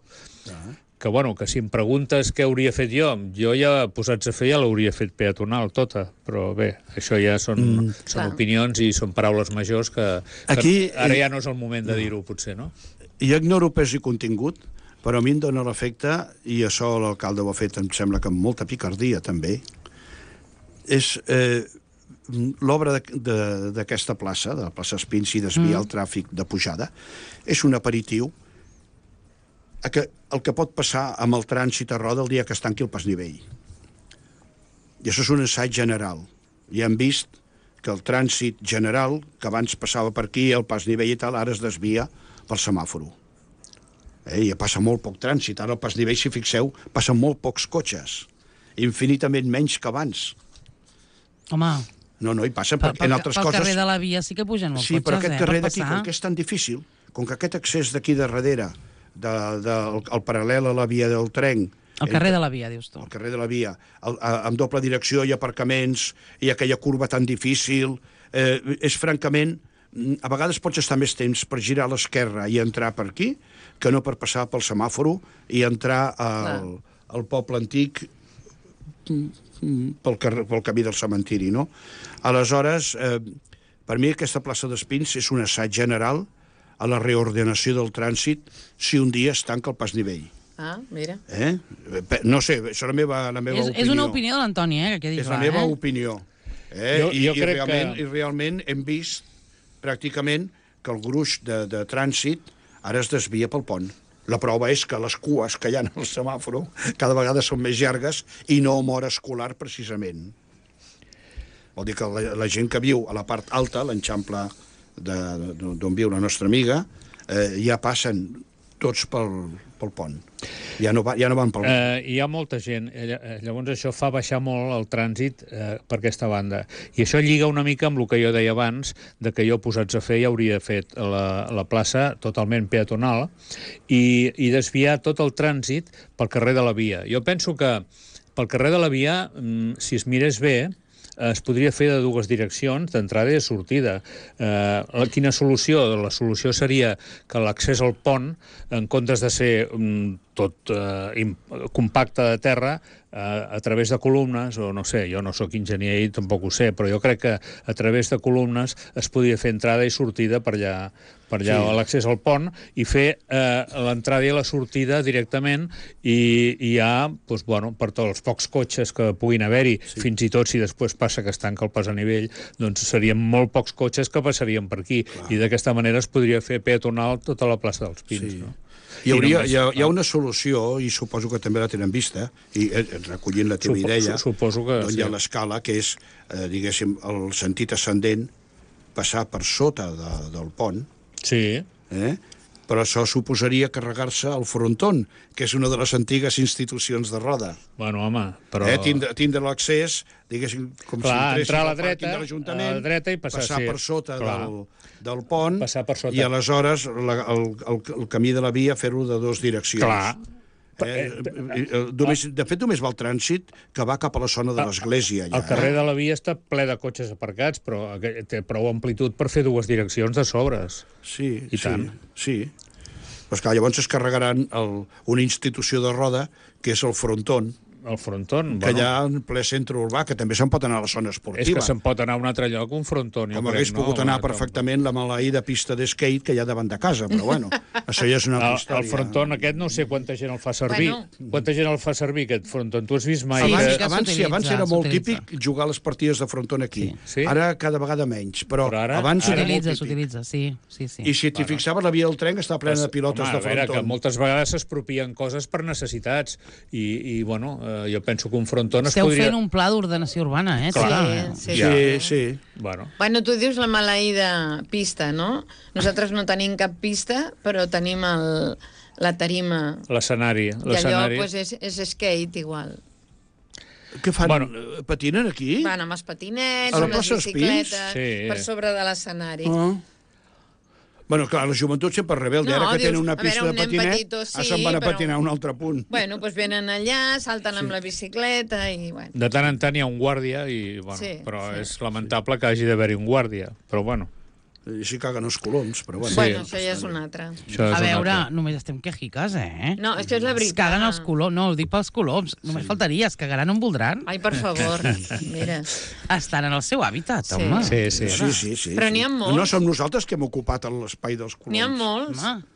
[SPEAKER 3] Que, bueno, que si em preguntes què hauria fet jo ja, posats a fer, ja l'hauria fet peatonal tota, però bé, això ja són opinions i són paraules majors que ara ja no és el moment de dir-ho, potser, no?
[SPEAKER 4] Jo ignoro pes i contingut, però a mi em dóna l'efecte, i això l'alcalde ho ha fet, em sembla que amb molta picardia, també, és l'obra d'aquesta plaça, de la plaça Espins, i desviar el tràfic de pujada, és un aperitiu el que pot passar amb el trànsit a Roda el dia que es tanqui el pasnivell. I això és un assaig general. Ja hem vist que el trànsit general, que abans passava per aquí, el pasnivell i tal, ara es desvia pel semàforo. I passa molt poc trànsit. Ara el pasnivell, si fixeu, passen molt pocs cotxes. Infinitament menys que abans.
[SPEAKER 1] Home...
[SPEAKER 4] No, hi passen, perquè en altres coses...
[SPEAKER 1] Pel carrer de la via sí que pugen molts cotxes,
[SPEAKER 4] Sí, però aquest carrer d'aquí, com que és tan difícil, com que aquest accés d'aquí de darrere, el paral·lel a la via del tren...
[SPEAKER 1] El carrer de la via, dius tu.
[SPEAKER 4] El carrer de la via. Amb doble direcció hi ha aparcaments, hi ha aquella curva tan difícil... És francament a vegades pots estar més temps per girar a l'esquerra i entrar per aquí que no per passar pel semàforo i entrar al poble antic pel camí del cementiri, no? Aleshores, per mi aquesta plaça d'Espins és un assaig general a la reordenació del trànsit si un dia es tanca el pas nivell.
[SPEAKER 2] Ah, mira.
[SPEAKER 4] No sé, això és la meva opinió.
[SPEAKER 1] És una opinió de l'Antoni, que quedi clar.
[SPEAKER 4] És la meva opinió.
[SPEAKER 3] Jo crec
[SPEAKER 4] I realment hem vist pràcticament que el gruix de trànsit ara es desvia pel pont. La prova és que les cues que hi ha al semàforo cada vegada són més llargues i no amb hora escolar, precisament. Vol dir que la gent que viu a la part alta, l'Eixample d'on viu la nostra amiga, ja passen tots pel pont. Ja no van pel pont.
[SPEAKER 3] Hi ha molta gent. Llavors això fa baixar molt el trànsit per aquesta banda. I això lliga una mica amb el que jo deia abans, de que jo posats a fer ja hauria fet la plaça totalment peatonal i desviar tot el trànsit pel carrer de la Via. Jo penso que pel carrer de la Via, si es mirés bé, es podria fer de dues direccions, d'entrada i de sortida. Quina solució? La solució seria que l'accés al pont, en comptes de ser tot compacte de terra, a través de columnes, o no sé, jo no sóc enginyer i tampoc ho sé, però jo crec que a través de columnes es podria fer entrada i sortida per allà sí. L'accés al pont, i fer l'entrada i la sortida directament, i ja, doncs, bueno, per tots els pocs cotxes que puguin haver-hi, sí. Fins i tot si després passa que es tanca el pas a nivell, doncs serien molt pocs cotxes que passarien per aquí. Clar. I d'aquesta manera es podria fer peatonal tota la plaça dels Pins, sí. No?
[SPEAKER 4] Hi ha una solució, i suposo que també la tenen vista, i recollint la teva idea,
[SPEAKER 3] suposo que
[SPEAKER 4] hi ha l'escala, que és, diguéssim, el sentit ascendent, passar per sota del pont,
[SPEAKER 3] sí.
[SPEAKER 4] Però això suposaria carregar-se el frontón, que és una de les antigues institucions de Roda.
[SPEAKER 3] Bueno, home, però...
[SPEAKER 4] Tindre l'accés, diguéssim, com
[SPEAKER 3] clar,
[SPEAKER 4] si
[SPEAKER 3] entrar a
[SPEAKER 4] l'Ajuntament,
[SPEAKER 3] la dreta i passar
[SPEAKER 4] per sota del pont,
[SPEAKER 3] per sota.
[SPEAKER 4] I aleshores el camí de la via fer-lo de dues direccions.
[SPEAKER 3] Clar.
[SPEAKER 4] De fet, només va el trànsit que va cap a la zona de l'església.
[SPEAKER 3] El carrer de la Via està ple de cotxes aparcats, però té prou amplitud per fer dues direccions de sobres.
[SPEAKER 4] Sí,
[SPEAKER 3] I tant.
[SPEAKER 4] Sí. Però esclar, llavors es carregaran una institució de Roda, que és el frontón,
[SPEAKER 3] el frontón,
[SPEAKER 4] que hi ha en ple centre urbà, que també se'n pot anar a la zona esportiva.
[SPEAKER 3] És que se'n pot anar a un altre lloc, un frontón.
[SPEAKER 4] Com hagués pogut anar perfectament la maleïda pista d'skate que hi ha davant de casa, però bueno, això ja és una altra història.
[SPEAKER 3] El frontón aquest no sé quanta gent el fa servir. Quanta gent el fa servir, aquest frontón? Tu has vist mai?
[SPEAKER 4] Abans era molt típic jugar les partides de frontón aquí. Ara cada vegada menys, però abans era molt típic.
[SPEAKER 1] S'utilitza, sí.
[SPEAKER 4] I si t'hi fixaves, la via del tren està plena de pilotes de frontón.
[SPEAKER 3] A veure, que moltes vegades s'expropien coses per necessitats i bueno, jo penso que un frontón es podria...
[SPEAKER 1] Esteu fent un pla d'ordenació urbana,
[SPEAKER 2] Sí.
[SPEAKER 3] Bueno,
[SPEAKER 2] tu dius la maleïda pista, no? Nosaltres no tenim cap pista, però tenim la tarima.
[SPEAKER 3] L'escenari.
[SPEAKER 2] I allò és skate, igual.
[SPEAKER 4] Què fan? Patinen aquí?
[SPEAKER 2] Van amb els patinets, amb les bicicletes, per sobre de l'escenari.
[SPEAKER 4] Bueno, clar, la joventut sempre rebelde. Ara que tenen una pista de patinet, se'n van a patinar a un altre punt.
[SPEAKER 2] Bueno, doncs venen allà, salten amb la bicicleta i...
[SPEAKER 3] De tant en tant hi ha un guàrdia, però és lamentable que hagi d'haver-hi un guàrdia. Però bueno...
[SPEAKER 4] I si caguen els coloms, però bueno.
[SPEAKER 2] Bueno, això ja és un altre.
[SPEAKER 1] A veure, només estem quejiques,
[SPEAKER 2] No, és que és la veritat.
[SPEAKER 1] Es caguen els coloms, no, ho dic pels coloms. Només faltaria, es cagaran on voldran.
[SPEAKER 2] Ai, per favor, mira.
[SPEAKER 1] Estan en el seu hàbitat, home.
[SPEAKER 4] Sí.
[SPEAKER 2] Però n'hi ha molts.
[SPEAKER 4] No som nosaltres que hem ocupat l'espai dels coloms.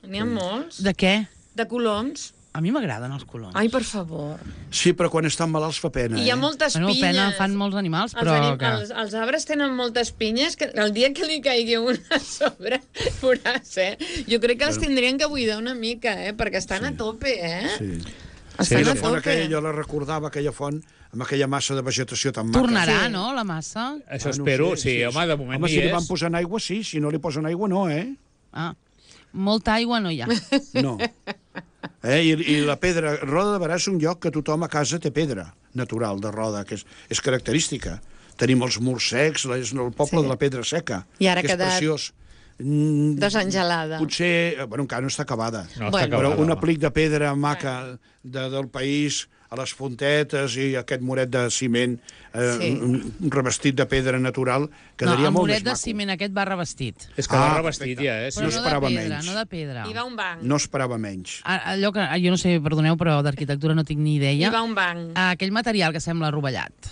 [SPEAKER 2] N'hi ha molts.
[SPEAKER 1] De què?
[SPEAKER 2] De coloms.
[SPEAKER 1] A mi m'agraden els coloms.
[SPEAKER 2] Ai, per favor.
[SPEAKER 4] Sí, però quan estan malalts fa pena,
[SPEAKER 2] I hi ha moltes pinyes.
[SPEAKER 1] Pena fan molts animals, però...
[SPEAKER 2] Els arbres tenen moltes pinyes, que el dia que li caigui una a sobre, veuràs, Jo crec que els tindrien que buidar una mica, perquè estan a tope,
[SPEAKER 4] Sí.
[SPEAKER 2] Estan a tope.
[SPEAKER 4] Jo la recordava, aquella font, amb aquella massa de vegetació tan maca.
[SPEAKER 1] Tornarà, no, la massa?
[SPEAKER 3] Això espero, sí, home, de moment
[SPEAKER 4] hi és.
[SPEAKER 3] Home,
[SPEAKER 4] si li van posant aigua, sí, si no li posen aigua, no,
[SPEAKER 1] Molta aigua no hi ha.
[SPEAKER 4] No. I la pedra, Roda de Berà és un lloc que tothom a casa té pedra natural de Roda, que és característica. Tenim els murs secs, és el poble de la pedra seca,
[SPEAKER 2] i ara
[SPEAKER 4] que és preciós.
[SPEAKER 2] Desangelada.
[SPEAKER 4] Potser, encara no està acabada,
[SPEAKER 3] No,
[SPEAKER 4] però un aplic de pedra maca del país a les fontetes i aquest muret de ciment revestit de pedra natural, quedaria molt més
[SPEAKER 1] maco. El muret de ciment aquest va revestit.
[SPEAKER 3] És que va revestit ja,
[SPEAKER 1] Però
[SPEAKER 4] no esperava
[SPEAKER 1] de pedra,
[SPEAKER 4] menys.
[SPEAKER 1] no de pedra.
[SPEAKER 2] Hi va un banc.
[SPEAKER 4] No esperava menys.
[SPEAKER 1] Allò que, jo no sé, perdoneu, però d'arquitectura no tinc ni idea.
[SPEAKER 2] Hi va un banc.
[SPEAKER 1] Aquell material que sembla rovellat,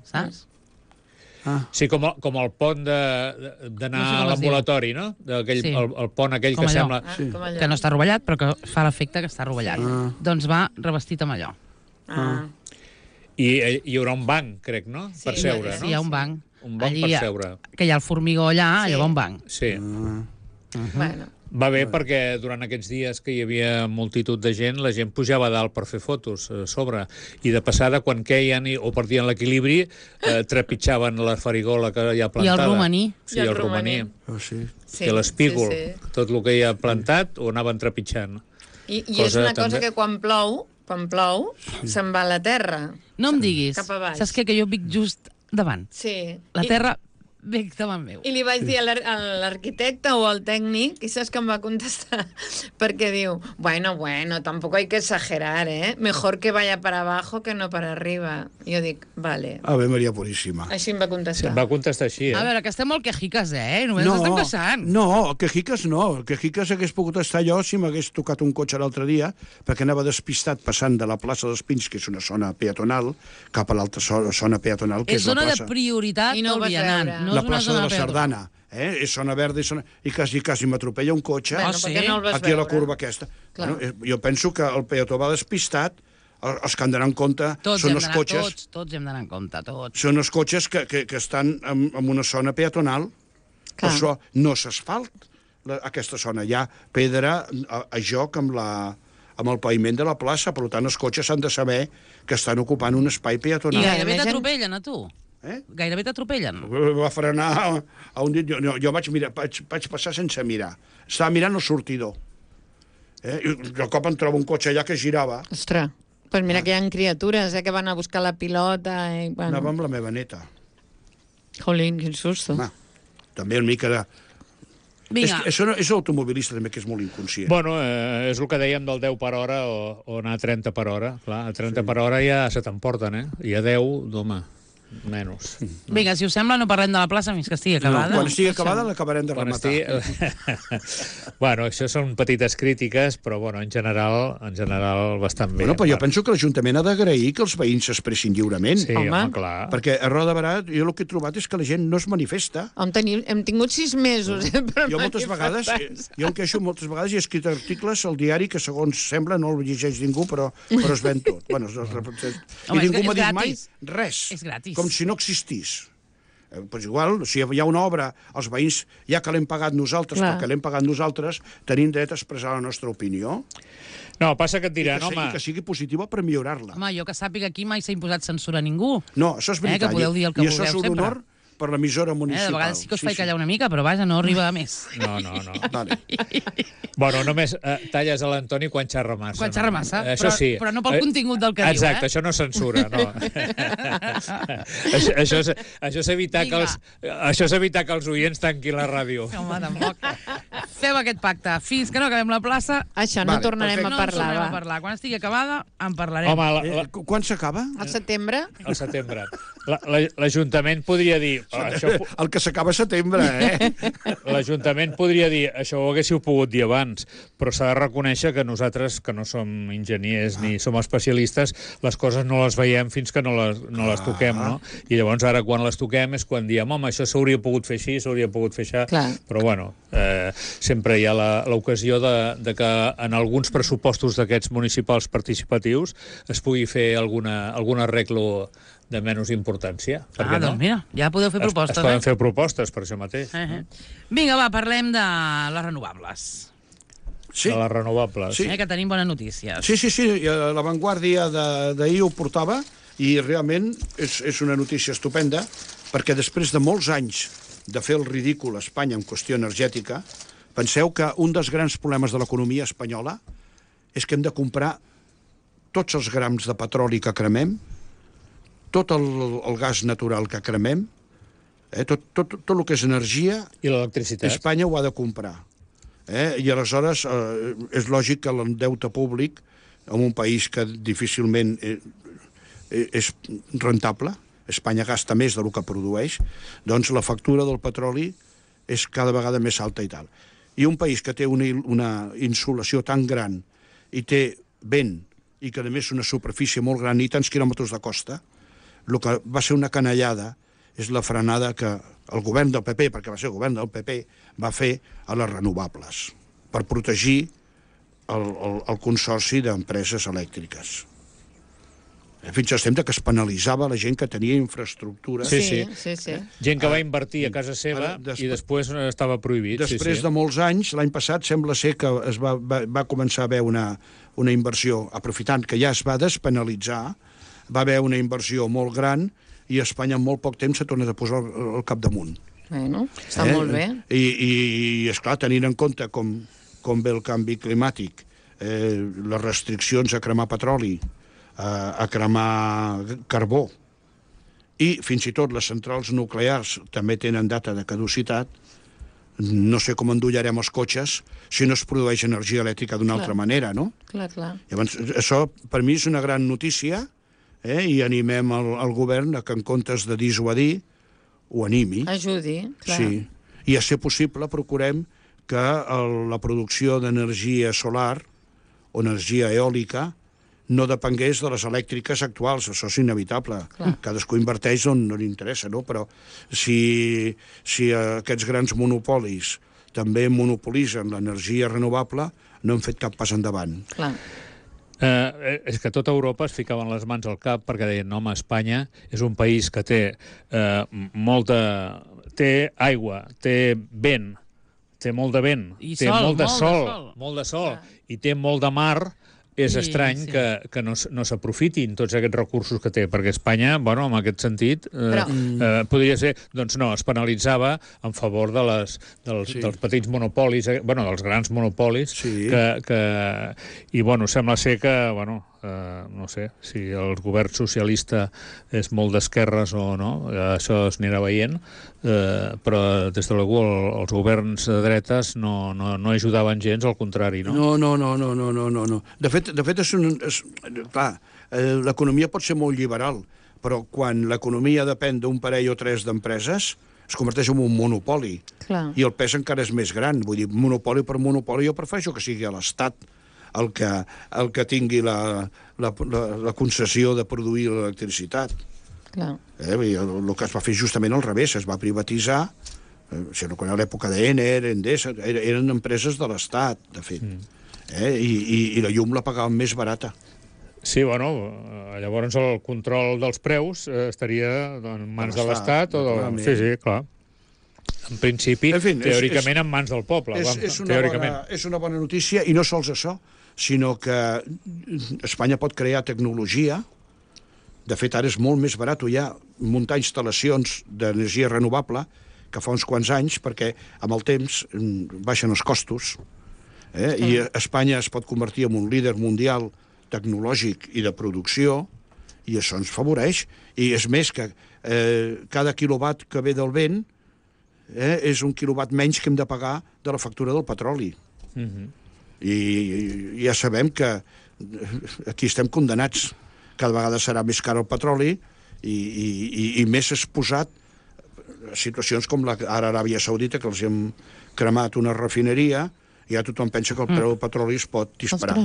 [SPEAKER 1] saps?
[SPEAKER 3] Sí, com el pont d'anar a l'ambulatori, no?
[SPEAKER 1] Sí.
[SPEAKER 3] El pont aquell
[SPEAKER 1] Com
[SPEAKER 3] que
[SPEAKER 1] allò.
[SPEAKER 3] sembla...
[SPEAKER 2] Com allò.
[SPEAKER 1] Que no està rovellat, però que fa l'efecte que està rovellat. Doncs va revestit amb allò.
[SPEAKER 3] I hi haurà un banc, crec, no?
[SPEAKER 2] Sí,
[SPEAKER 3] Per seure,
[SPEAKER 1] Sí,
[SPEAKER 3] no?
[SPEAKER 1] hi ha un banc.
[SPEAKER 3] Un banc per seure.
[SPEAKER 1] Que hi ha el formigó allà,
[SPEAKER 2] Sí.
[SPEAKER 1] allò va un banc.
[SPEAKER 3] Sí.
[SPEAKER 2] Bueno,
[SPEAKER 3] Va bé perquè durant aquests dies que hi havia multitud de gent, la gent pujava a dalt per fer fotos a sobre, i de passada, quan queien o perdien l'equilibri, trepitjaven la farigola que hi ha plantada.
[SPEAKER 1] I el romaní.
[SPEAKER 3] Sí, el romaní.
[SPEAKER 4] Oh, sí.
[SPEAKER 3] I l'espígol.
[SPEAKER 2] sí.
[SPEAKER 3] Tot el que hi ha plantat ho anaven trepitjant.
[SPEAKER 2] I és una cosa
[SPEAKER 3] també-
[SPEAKER 2] que quan plou, se'n va a la terra.
[SPEAKER 1] No em diguis.
[SPEAKER 2] Cap a baix.
[SPEAKER 1] Saps què? Que jo vic just davant.
[SPEAKER 2] Sí.
[SPEAKER 1] La terra ve davant meu.
[SPEAKER 2] I li vaig dir a l'arquitecte o al tècnic, i saps que em va contestar? Perquè diu, bueno, tampoco hay que exagerar, ¿eh? Mejor que vaya para abajo que no para arriba. I jo dic, vale.
[SPEAKER 4] Ave Maria Puríssima.
[SPEAKER 2] Així em va contestar.
[SPEAKER 3] Va contestar així,
[SPEAKER 1] A veure, que estem molt quejiques, Només estem queixant.
[SPEAKER 4] No, quejiques no. Quejiques hagués pogut estar jo si m'hagués tocat un cotxe l'altre dia, perquè anava despistat passant de la plaça dels Pins, que és una zona peatonal, cap a l'altra zona peatonal, que
[SPEAKER 1] És
[SPEAKER 4] és la
[SPEAKER 1] zona de
[SPEAKER 4] plaça.
[SPEAKER 1] prioritat
[SPEAKER 2] I no ho
[SPEAKER 1] del
[SPEAKER 2] vas
[SPEAKER 1] vianant.
[SPEAKER 2] veure.
[SPEAKER 1] No
[SPEAKER 4] La
[SPEAKER 1] és una
[SPEAKER 4] plaça de
[SPEAKER 1] zona
[SPEAKER 4] la
[SPEAKER 1] peatonal.
[SPEAKER 4] Sardana. És zona verda i quasi m'atropella un cotxe.
[SPEAKER 2] Bueno,
[SPEAKER 1] sí?
[SPEAKER 2] per què no el vas
[SPEAKER 4] Aquí a la
[SPEAKER 2] veure?
[SPEAKER 4] curva aquesta.
[SPEAKER 2] Clar.
[SPEAKER 4] Bueno, jo penso que el peató va despistat, els que han d'anar en compte
[SPEAKER 1] Tots
[SPEAKER 4] són
[SPEAKER 1] hem
[SPEAKER 4] els
[SPEAKER 1] d'anar,
[SPEAKER 4] cotxes,
[SPEAKER 1] tots hem d'anar en compte, tots.
[SPEAKER 4] són els cotxes que estan en una zona peatonal. Per
[SPEAKER 2] Clar.
[SPEAKER 4] això no s'asfalt aquesta zona. Hi ha pedra a joc amb el paviment de la plaça, per tant els cotxes han de saber que estan ocupant un espai
[SPEAKER 1] I
[SPEAKER 4] peatonal.
[SPEAKER 1] gairebé
[SPEAKER 2] Imagine-
[SPEAKER 1] t'atropellen, a tu. Gairebé t'atropellen.
[SPEAKER 4] Va frenar a un dit. Jo vaig passar sense mirar. Estava mirant el sortidor. I de cop em trobo un cotxe allà que girava.
[SPEAKER 2] Ostres, pues mira que hi ha criatures que van a buscar la pilota i...
[SPEAKER 4] Anava
[SPEAKER 2] Bueno,
[SPEAKER 4] amb la meva neta.
[SPEAKER 2] jolín, quin susto.
[SPEAKER 4] Home, també una mica de...
[SPEAKER 1] Vinga,
[SPEAKER 4] És automobilista també, que és molt inconscient.
[SPEAKER 3] Bueno, és el que dèiem del 10 per hora o anar a 30 per hora. Clar, a 30 per hora ja se t'emporten, I a 10, d'home, menys.
[SPEAKER 1] vinga, si us sembla, no parlem de la plaça fins que estigui acabada.
[SPEAKER 4] Quan estigui acabada l'acabarem de
[SPEAKER 3] Quan
[SPEAKER 4] rematar.
[SPEAKER 3] Bueno, això són petites crítiques, però bueno, en general bastant bé.
[SPEAKER 4] Bueno, però jo penso que l'Ajuntament ha d'agrair que els veïns s'expressin lliurement.
[SPEAKER 3] Sí,
[SPEAKER 2] Home.
[SPEAKER 3] home, clar.
[SPEAKER 4] Perquè a Roda de Barà jo el que he trobat és que la gent no es manifesta.
[SPEAKER 2] Hem tingut 6 mesos per
[SPEAKER 4] Jo moltes vegades, jo em queixo moltes vegades i he escrit articles al diari que segons sembla no el llegeix ningú, però es ven tot. Bueno,
[SPEAKER 1] Home,
[SPEAKER 4] i ningú
[SPEAKER 1] és
[SPEAKER 4] m'ha dit mai
[SPEAKER 1] gratis.
[SPEAKER 4] res.
[SPEAKER 1] És gratis.
[SPEAKER 4] Com si no existís. Pues igual, si hi ha una obra, els veïns, ja que l'hem pagat nosaltres,
[SPEAKER 2] Clar.
[SPEAKER 4] perquè l'hem pagat nosaltres, tenim dret a expressar la nostra opinió
[SPEAKER 3] No, passa que et
[SPEAKER 4] i
[SPEAKER 3] diran,
[SPEAKER 4] i que sigui positiva per millorar-la.
[SPEAKER 1] Home, jo que sàpiga aquí mai s'ha imposat censura a ningú.
[SPEAKER 4] No, això és veritat.
[SPEAKER 1] que podeu dir el que
[SPEAKER 4] I això és
[SPEAKER 1] vulgueu
[SPEAKER 4] un
[SPEAKER 1] sempre.
[SPEAKER 4] honor per l'emissora
[SPEAKER 1] De
[SPEAKER 4] municipal.
[SPEAKER 1] vegades sí que us faig callar una mica, però vaja, no arriba a més.
[SPEAKER 3] No.
[SPEAKER 4] Vale.
[SPEAKER 3] Bueno, només talles a l'Antoni quan xerra massa.
[SPEAKER 1] Quan xerra massa,
[SPEAKER 3] Això
[SPEAKER 1] però-
[SPEAKER 3] sí.
[SPEAKER 1] però no pel contingut del que diu,
[SPEAKER 3] Exacte, això no és censura, no. això és evitar que els oients tanquin la ràdio.
[SPEAKER 1] Home, tampoc. Fem aquest pacte. Fins que no acabem la plaça,
[SPEAKER 2] Això no
[SPEAKER 4] Vale,
[SPEAKER 2] tornarem
[SPEAKER 4] perfecte.
[SPEAKER 1] no
[SPEAKER 2] a
[SPEAKER 1] en tornarem a
[SPEAKER 2] parlar, va.
[SPEAKER 1] parlar. Quan estigui acabada, en parlarem.
[SPEAKER 3] Home,
[SPEAKER 4] Quan s'acaba?
[SPEAKER 2] Al setembre?
[SPEAKER 3] al setembre. L'Ajuntament podria dir...
[SPEAKER 4] El que s'acaba a setembre,
[SPEAKER 3] L'Ajuntament podria dir això ho haguéssiu pogut dir abans, però s'ha de reconèixer que nosaltres, que no som enginyers ni som especialistes, les coses no les veiem fins que no les toquem, no? I llavors ara quan les toquem és quan diem, home, això s'hauria pogut fer així, s'hauria pogut fer això,
[SPEAKER 2] Clar.
[SPEAKER 3] però bueno, sempre hi ha l'ocasió de que en alguns pressupostos d'aquests municipals participatius es pugui fer algun arreglo de menys importància. Per què no?
[SPEAKER 1] Doncs mira, ja podeu fer propostes,
[SPEAKER 3] Es poden fer propostes per això mateix.
[SPEAKER 1] Vinga, va, parlem de les renovables.
[SPEAKER 4] Sí.
[SPEAKER 3] De les renovables.
[SPEAKER 4] Sí.
[SPEAKER 1] Que tenim bones notícies.
[SPEAKER 4] Sí, la Vanguardia d'ahir ho portava i realment és una notícia estupenda perquè després de molts anys de fer el ridícul a Espanya en qüestió energètica, penseu que un dels grans problemes de l'economia espanyola és que hem de comprar tots els grams de petroli que cremem, tot el gas natural que cremem, tot el que és energia,
[SPEAKER 3] I l'electricitat.
[SPEAKER 4] Espanya ho ha de comprar. I aleshores és lògic que el deute públic en un país que difícilment és rentable, Espanya gasta més del que produeix, doncs la factura del petroli és cada vegada més alta i tal. I un país que té una insolació tan gran i té vent i que a més una superfície molt gran i tants quilòmetres de costa, el que va ser una canallada és la frenada que el govern del PP, perquè va ser el govern del PP, va fer a les renovables per protegir el consorci d'empreses elèctriques. Fins al temps que es penalitzava la gent que tenia infraestructures.
[SPEAKER 3] Sí. Gent que
[SPEAKER 4] Ara,
[SPEAKER 3] va invertir a casa seva i després estava prohibit.
[SPEAKER 4] Després de molts anys, l'any passat, sembla ser que es va començar a haver una inversió, aprofitant que ja es va despenalitzar, va haver una inversió molt gran i Espanya en molt poc temps s'ha tornat a posar el capdamunt.
[SPEAKER 2] Bueno, està molt bé.
[SPEAKER 4] I esclar, tenint en compte com ve el canvi climàtic, les restriccions a cremar petroli, a cremar carbó, i fins i tot les centrals nuclears també tenen data de caducitat, no sé com endollarem els cotxes si no es produeix energia elèctrica d'una altra manera, no?
[SPEAKER 2] Clar.
[SPEAKER 4] Llavors, això per mi és una gran notícia, i animem el govern a que en comptes de dissuadir ho animi.
[SPEAKER 2] Ajudi, clar.
[SPEAKER 4] Sí. I a ser possible procurem que la producció d'energia solar o energia eòlica no depengués de les elèctriques actuals, això és inevitable.
[SPEAKER 2] Clar.
[SPEAKER 4] Cadascú inverteix on no li interessa, no? Però si aquests grans monopolis també monopolitzen l'energia renovable, no hem fet cap pas endavant.
[SPEAKER 2] Clar.
[SPEAKER 3] És que tota Europa es ficaven les mans al cap perquè deien, home, Espanya és un país que té té aigua, té vent, té molt de vent, té molt de sol, i té molt de mar. És estrany que no s'aprofitin tots aquests recursos que té, perquè Espanya, bueno, en aquest sentit, podria ser, doncs no, es penalitzava en favor dels petits monopolis, dels grans monopolis, i, bueno, sembla ser que, no sé, si el govern socialista és molt d'esquerres o no, això es anirà veient, però des de l'algú els governs de dretes no ajudaven gens, al contrari, no?
[SPEAKER 4] No. De fet, clar, l'economia pot ser molt liberal, però quan l'economia depèn d'un parell o tres d'empreses, es converteix en un monopoli.
[SPEAKER 2] Clar.
[SPEAKER 4] I el pes encara és més gran. Vull dir, monopoli per monopoli, jo prefereixo que sigui a l'Estat el que tingui la concessió de produir l'electricitat.
[SPEAKER 2] Clar.
[SPEAKER 4] El que es va fer justament al revés, es va privatitzar, quan a l'època d'Ener, Endesa, eren empreses de l'Estat, de fet. I la llum la pagaven més barata.
[SPEAKER 3] Sí, bueno, llavors el control dels preus estaria en mans de l'Estat. Sí, clar. En principi, teòricament, en mans del poble.
[SPEAKER 4] És una bona notícia, i no sols això, sinó que Espanya pot crear tecnologia. De fet, ara és molt més barat ja muntar instal·lacions d'energia renovable que fa uns quants anys, perquè amb el temps baixen els costos, i Espanya es pot convertir en un líder mundial tecnològic i de producció, i això ens favoreix. I és més que cada quilowatt que ve del vent és un quilowatt menys que hem de pagar de la factura del petroli. I ja sabem que aquí estem condenats. Cada vegada serà més car el petroli i més exposat a situacions com ara Aràbia Saudita, que els hem cremat una refineria i ja tothom pensa que el preu del petroli es pot disparar.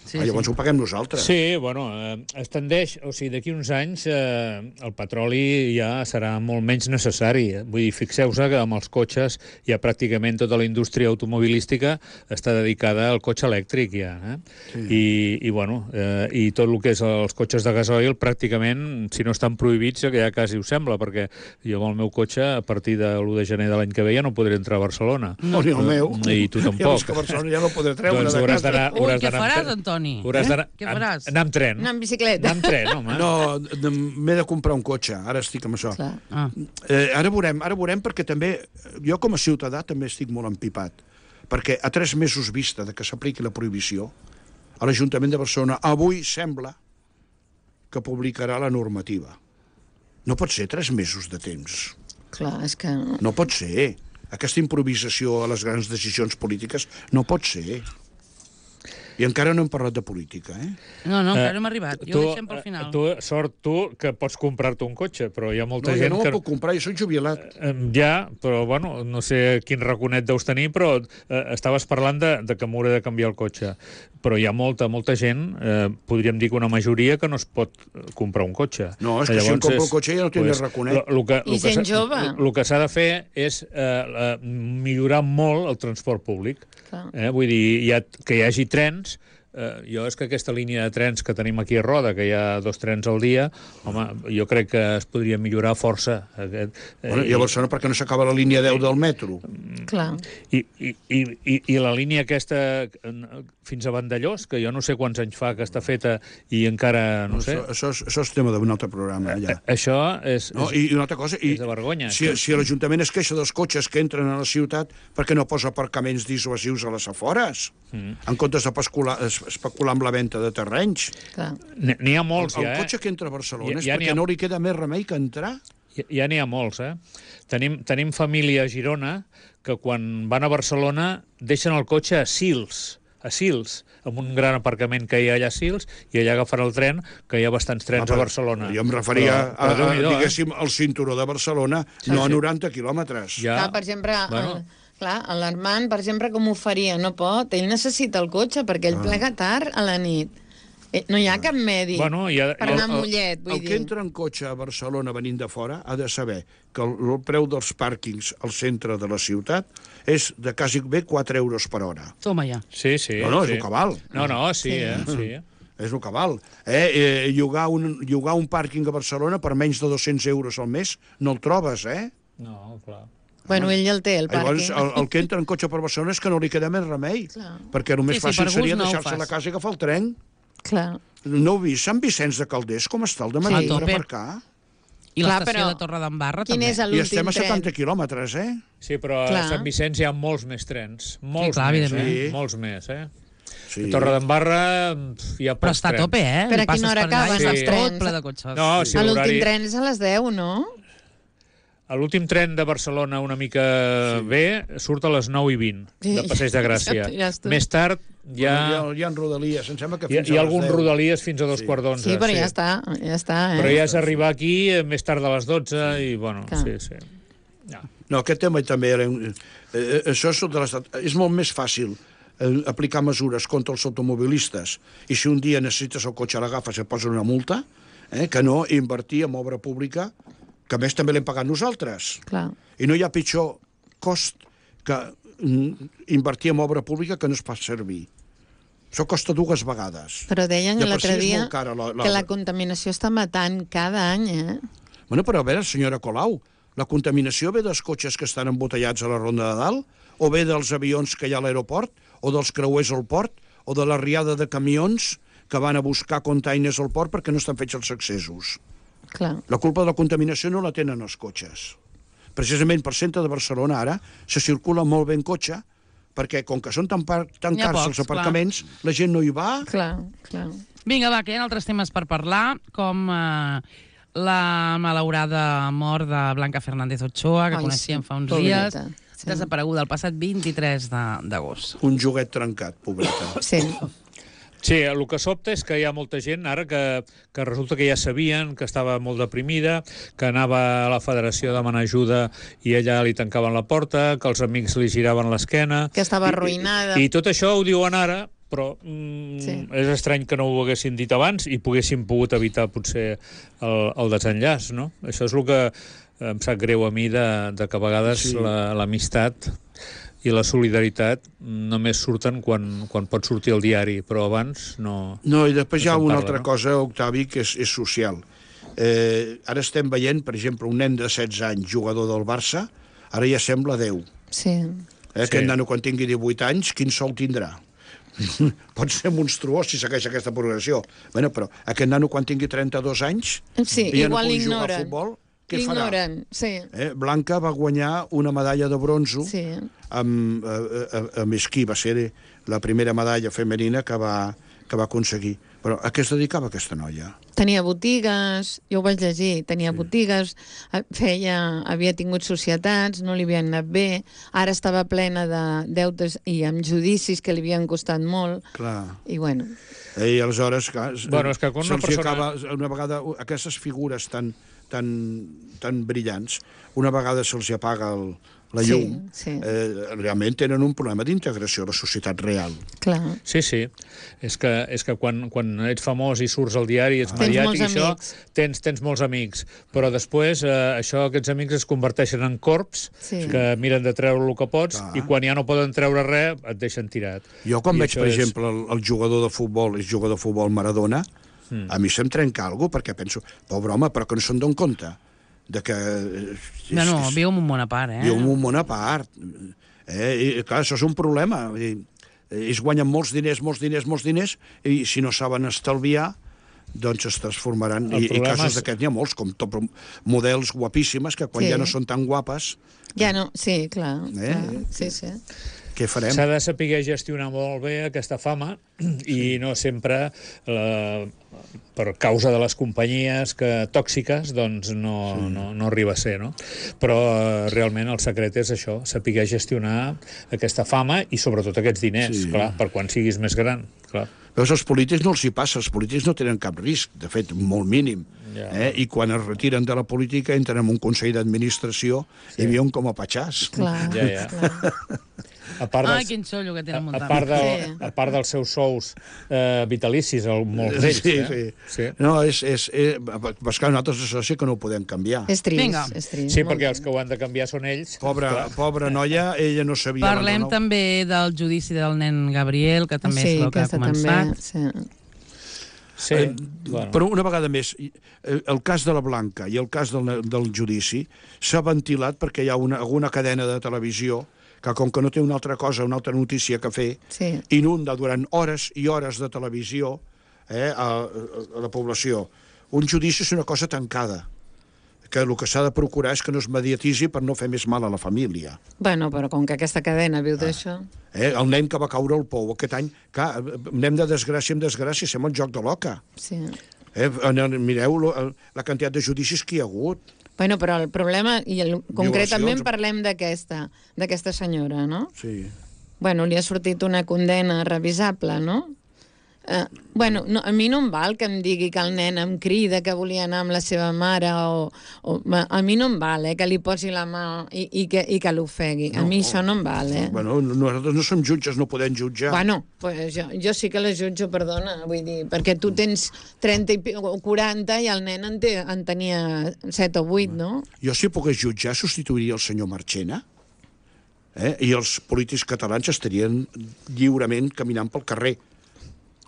[SPEAKER 4] Llavors ho paguem nosaltres.
[SPEAKER 3] Sí, bueno, es tendeix, o sigui, d'aquí uns anys el petroli ja serà molt menys necessari. Vull dir, fixeu-se que amb els cotxes ja pràcticament tota la indústria automobilística està dedicada al cotxe elèctric ja. I bueno, i tot el que és els cotxes de gasoil pràcticament, si no estan prohibits, que ja quasi ho sembla, perquè jo amb el meu cotxe a partir de l'1 de gener de l'any que ve ja no podré entrar a Barcelona.
[SPEAKER 4] No, ni el meu.
[SPEAKER 3] I tu tampoc.
[SPEAKER 4] Ja que a Barcelona ja no podré treure
[SPEAKER 3] de casa.
[SPEAKER 1] Què faràs, Antoni?
[SPEAKER 3] Què
[SPEAKER 1] faràs?
[SPEAKER 3] Anar amb tren.
[SPEAKER 2] Anar amb bicicleta.
[SPEAKER 3] Anar amb tren, home.
[SPEAKER 4] No, m'he de comprar un cotxe. Ara estic amb això. Ara veurem perquè també, jo com a ciutadà també estic molt empipat. Perquè a 3 mesos vista de que s'apliqui la prohibició, a l'Ajuntament de Barcelona avui sembla que publicarà la normativa. No pot ser 3 mesos de temps.
[SPEAKER 2] Clar, és que...
[SPEAKER 4] No pot ser. Aquesta improvisació a les grans decisions polítiques no pot ser. I encara no hem parlat de política, eh?
[SPEAKER 1] No, encara no hem arribat. Jo ho deixem pel final.
[SPEAKER 3] Tu, que pots comprar-te un cotxe, però hi ha molta
[SPEAKER 4] No, jo
[SPEAKER 3] gent
[SPEAKER 4] no
[SPEAKER 3] que...
[SPEAKER 4] me'l puc comprar, jo soc jubilat.
[SPEAKER 3] Ja, però, bueno, no sé quin raconet deus tenir, però estaves parlant de que m'hauré de canviar el cotxe. Però hi ha molta gent, podríem dir que una majoria, que no es pot comprar un cotxe.
[SPEAKER 4] No, és que si em compro un cotxe ja no tindré raconet.
[SPEAKER 2] I gent jove.
[SPEAKER 3] El que s'ha de fer és millorar molt el transport públic. Vull dir, que hi hagi trens. Jo és que aquesta línia de trens que tenim aquí a Roda, que hi ha 2 trens al dia, home, jo crec que es podria millorar força.
[SPEAKER 4] Bueno, I a Barcelona perquè no s'acaba la línia 10 del metro.
[SPEAKER 2] Clar.
[SPEAKER 3] I la línia aquesta fins a Vandellós, que jo no sé quants anys fa que està feta i encara, no sé...
[SPEAKER 4] Això és tema d'un altre programa, ja.
[SPEAKER 3] Això és
[SPEAKER 4] una altra cosa,
[SPEAKER 3] és de vergonya.
[SPEAKER 4] Si l'Ajuntament es queixa dels cotxes que entren a la ciutat, per què no posa aparcaments dissuasius a les afores? En comptes de especular amb la venda de terrenys.
[SPEAKER 3] N'hi ha molts,
[SPEAKER 4] ja, El cotxe que entra a Barcelona és perquè no li queda més remei que entrar.
[SPEAKER 3] Ja n'hi ha molts, eh? Tenim família a Girona que quan van a Barcelona deixen el cotxe a Sils, amb un gran aparcament que hi ha allà a Sils, i allà agafar el tren, que hi ha bastants trens a Barcelona.
[SPEAKER 4] Jo em referia diguéssim, al cinturó de Barcelona, no a 90 quilòmetres.
[SPEAKER 2] Clar, per exemple... Clar, l'Armand, per exemple, com ho faria? No pot. Ell necessita el cotxe perquè ell plega tard a la nit. No hi ha cap medi per anar a Mollet, vull dir.
[SPEAKER 4] El que entra en cotxe a Barcelona venint de fora ha de saber que el preu dels pàrquings al centre de la ciutat és de quasi bé 4 euros per hora.
[SPEAKER 1] Toma ja.
[SPEAKER 3] Sí.
[SPEAKER 4] No, és el que val.
[SPEAKER 3] Sí.
[SPEAKER 4] És el que val. Llogar un pàrquing a Barcelona per menys de 200 euros al mes no el trobes, eh?
[SPEAKER 3] No, clar.
[SPEAKER 2] Bueno, ell el té, el pàrquing.
[SPEAKER 4] Llavors, el que entra en cotxe per Barcelona és que no li queda més remei. Perquè el més fàcil seria deixar-se la casa i agafar el tren.
[SPEAKER 2] Clar.
[SPEAKER 4] No heu vist Sant Vicenç de Calders com està el de Madrid per aparcar?
[SPEAKER 1] I l'estació de Torredembarra també.
[SPEAKER 4] I estem a 70 quilòmetres, eh?
[SPEAKER 3] Sí, però a Sant Vicenç hi ha molts més trens. Molts més, eh? A Torredembarra hi ha pocs trens.
[SPEAKER 1] Però està a tope, eh?
[SPEAKER 2] Per a quina hora acaben els trens?
[SPEAKER 1] Ple de cotxes.
[SPEAKER 2] L'últim tren és a les 10, no?
[SPEAKER 3] L'últim tren de Barcelona una mica bé surt a les 9:20 de Passeig de Gràcia. Més tard hi
[SPEAKER 4] ha rodalies, em sembla que fins a les 10.
[SPEAKER 3] Hi ha alguns rodalies fins a 2:15.
[SPEAKER 2] Sí, però ja està.
[SPEAKER 3] Però ja és arribar aquí més tard de les 12 i, bueno, sí.
[SPEAKER 4] No, aquest tema també això és molt més fàcil aplicar mesures contra els automobilistes i si un dia necessites el cotxe l'agafes i et posen una multa, que no invertir en obra pública, que a més també l'hem pagat nosaltres.
[SPEAKER 2] Clar.
[SPEAKER 4] I no hi ha pitjor cost que invertir en obra pública que no es fa servir. Això costa 2 vegades.
[SPEAKER 2] Però deien l'altre dia que la contaminació està matant cada any, eh?
[SPEAKER 4] Bueno, però a veure, senyora Colau, la contaminació ve dels cotxes que estan embotellats a la Ronda de Dalt, o ve dels avions que hi ha a l'aeroport, o dels creuers al port, o de la riada de camions que van a buscar containers al port perquè no estan fets els accessos.
[SPEAKER 2] Clar.
[SPEAKER 4] La culpa de la contaminació no la tenen els cotxes. Precisament per centre de Barcelona ara se circula molt bé en cotxe perquè com que són tan cars els aparcaments, la gent no hi va.
[SPEAKER 2] Clar.
[SPEAKER 1] Vinga, va, que hi ha altres temes per parlar, com la malaurada mort de Blanca Fernández Ochoa, que coneixíem fa uns dies, desapareguda el passat 23 d'agost.
[SPEAKER 4] Un joguet trencat, pobreta.
[SPEAKER 3] Sí, el que sobta és que hi ha molta gent ara que resulta que ja sabien que estava molt deprimida, que anava a la federació a demanar ajuda i allà li tancaven la porta, que els amics li giraven l'esquena...
[SPEAKER 2] Que estava arruïnada.
[SPEAKER 3] I tot això ho diuen ara, però és estrany que no ho haguessin dit abans i poguessin pogut evitar potser el desenllaç, no? Això és el que em sap greu a mi de que a vegades l'amistat i la solidaritat només surten quan pot sortir al diari, però abans no...
[SPEAKER 4] No, i després hi ha una altra cosa, Octavi, que és social. Ara estem veient, per exemple, un nen de 16 anys, jugador del Barça, ara ja sembla 10.
[SPEAKER 2] Sí.
[SPEAKER 4] Aquest nano, quan tingui 18 anys, quin sou tindrà? Pot ser monstruós si segueix aquesta progressió. Bueno, però aquest nano, quan tingui 32 anys, ja no pugui jugar a futbol, què farà? Blanca va guanyar una medalla de bronzo amb esquí, va ser la primera medalla femenina que va que va aconseguir. Però a què es dedicava aquesta noia?
[SPEAKER 2] Tenia botigues, jo ho vaig llegir, tenia botigues, havia tingut societats, no li havien anat bé, ara estava plena de deutes i amb judicis que li havien costat molt.
[SPEAKER 4] Clar.
[SPEAKER 2] I bueno...
[SPEAKER 4] I aleshores, clar,
[SPEAKER 3] Bueno, és que quan una persona...
[SPEAKER 4] acaba, una vegada, aquestes figures tan brillants, una vegada se'ls apaga la llum, realment tenen un problema d'integració a la societat real.
[SPEAKER 2] Clar.
[SPEAKER 3] Sí. És que quan ets famós i surts al diari, ets
[SPEAKER 2] Tens
[SPEAKER 3] mediàtic,
[SPEAKER 2] molts
[SPEAKER 3] això,
[SPEAKER 2] amics.
[SPEAKER 3] tens molts amics. Però després aquests amics es converteixen en corps que miren de treure el que pots i quan ja no poden treure res et deixen tirat.
[SPEAKER 4] Jo quan veig, per exemple, el jugador de futbol Maradona, a mi se'm trenca alguna cosa, perquè penso, pobre home, però que no se'n donen compte de que...
[SPEAKER 1] viu en un món a part,
[SPEAKER 4] Viu en un món a part. I, clar, això és un problema. Ells guanyen molts diners, i si no saben estalviar, doncs es transformaran. I casos d'aquests n'hi ha molts, com models guapíssimes, que quan ja no són tan guapes...
[SPEAKER 2] Ja no, sí, clar. Sí.
[SPEAKER 4] Què farem?
[SPEAKER 3] S'ha de saber gestionar molt bé aquesta fama i no sempre, per causa de les companyies tòxiques, doncs no arriba a ser, no? Però realment el secret és això, saber gestionar aquesta fama i sobretot aquests diners, clar, per quan siguis més gran, clar.
[SPEAKER 4] Veus, als polítics no els hi passa, els polítics no tenen cap risc, de fet, molt mínim. I quan es retiren de la política entren en un consell d'administració i viuen com a patxars.
[SPEAKER 2] Clar.
[SPEAKER 1] Quin xollo que tenen muntat.
[SPEAKER 3] A part dels seus sous vitalicis, molts d'ells.
[SPEAKER 4] Sí. No, és que nosaltres és que no ho podem canviar.
[SPEAKER 2] És trist.
[SPEAKER 3] Sí, perquè els que ho han de canviar són ells.
[SPEAKER 4] Pobra noia, ella no sabia...
[SPEAKER 1] Parlem també del judici del nen Gabriel, que també és el que ha començat.
[SPEAKER 4] Però una vegada més, el cas de la Blanca i el cas del judici s'ha ventilat perquè hi ha alguna cadena de televisió que com que no té una altra notícia que fer, inunda durant hores i hores de televisió a la població. Un judici és una cosa tancada, que el que s'ha de procurar és que no es mediatitzi per no fer més mal a la família.
[SPEAKER 2] Bueno, però com que aquesta cadena viu d'això...
[SPEAKER 4] El nen que va caure al pou aquest any, clar, anem de desgràcia en desgràcia, sembla un joc de l'oca. Mireu la quantitat de judicis que hi ha hagut.
[SPEAKER 2] Bueno, però el problema, i concretament parlem d'aquesta senyora, no?
[SPEAKER 4] Sí.
[SPEAKER 2] Bueno, li ha sortit una condena revisable, no? Bueno, a mi no em val que em digui que el nen em crida que volia anar amb la seva mare a mi no em val, que li posi la mà i que l'ofegui. A mi això no em val,
[SPEAKER 4] Bueno, nosaltres no som jutges, no podem jutjar.
[SPEAKER 2] Bueno, pues jo sí que la jutjo, perdona, vull dir, perquè tu tens 30 o 40 i el nen en tenia 7 o 8, no?
[SPEAKER 4] Jo, si pogués jutjar, substituiria el senyor Marchena, i els polítics catalans estarien lliurement caminant pel carrer.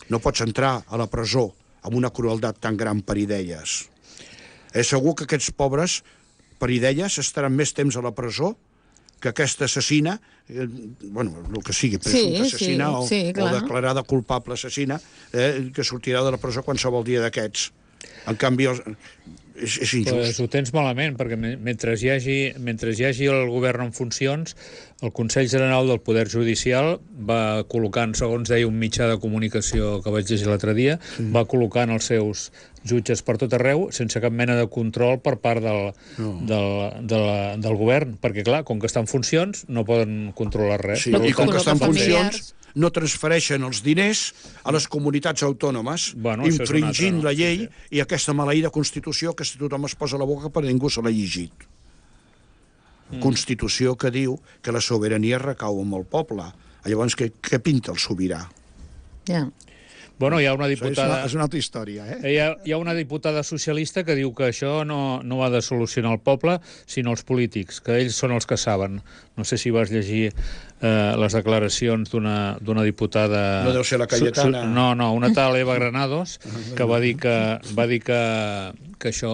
[SPEAKER 4] No pots entrar a la presó amb una crueltat tan gran per idees. És segur que aquests pobres, per idees, estaran més temps a la presó que aquesta assassina, bueno, el que sigui, presumpta assassina o declarada culpable assassina, que sortirà de la presó qualsevol dia d'aquests. En canvi, és injust.
[SPEAKER 3] Pues ho tens malament, perquè mentre hi hagi el govern en funcions, el Consell General del Poder Judicial va col·locant, segons deia un mitjà de comunicació que vaig llegir l'altre dia, va col·locant els seus jutges per tot arreu sense cap mena de control per part del govern, perquè clar, com que estan en funcions no poden controlar res.
[SPEAKER 4] I com que estan en funcions no transfereixen els diners a les comunitats autònomes, infringint la llei i aquesta maleïda Constitució que tothom es posa a la boca però ningú se l'ha llegit. Constitució que diu que la sobirania recau amb el poble. Llavors, què pinta el sobirà?
[SPEAKER 3] Bueno, hi ha una diputada...
[SPEAKER 4] És una altra història,
[SPEAKER 3] Hi ha una diputada socialista que diu que això no ha de solucionar el poble, sinó els polítics, que ells són els que saben. No sé si vas llegir les declaracions d'una diputada...
[SPEAKER 4] No deu ser la Cayetana.
[SPEAKER 3] No, una tal Eva Granados, que va dir que això,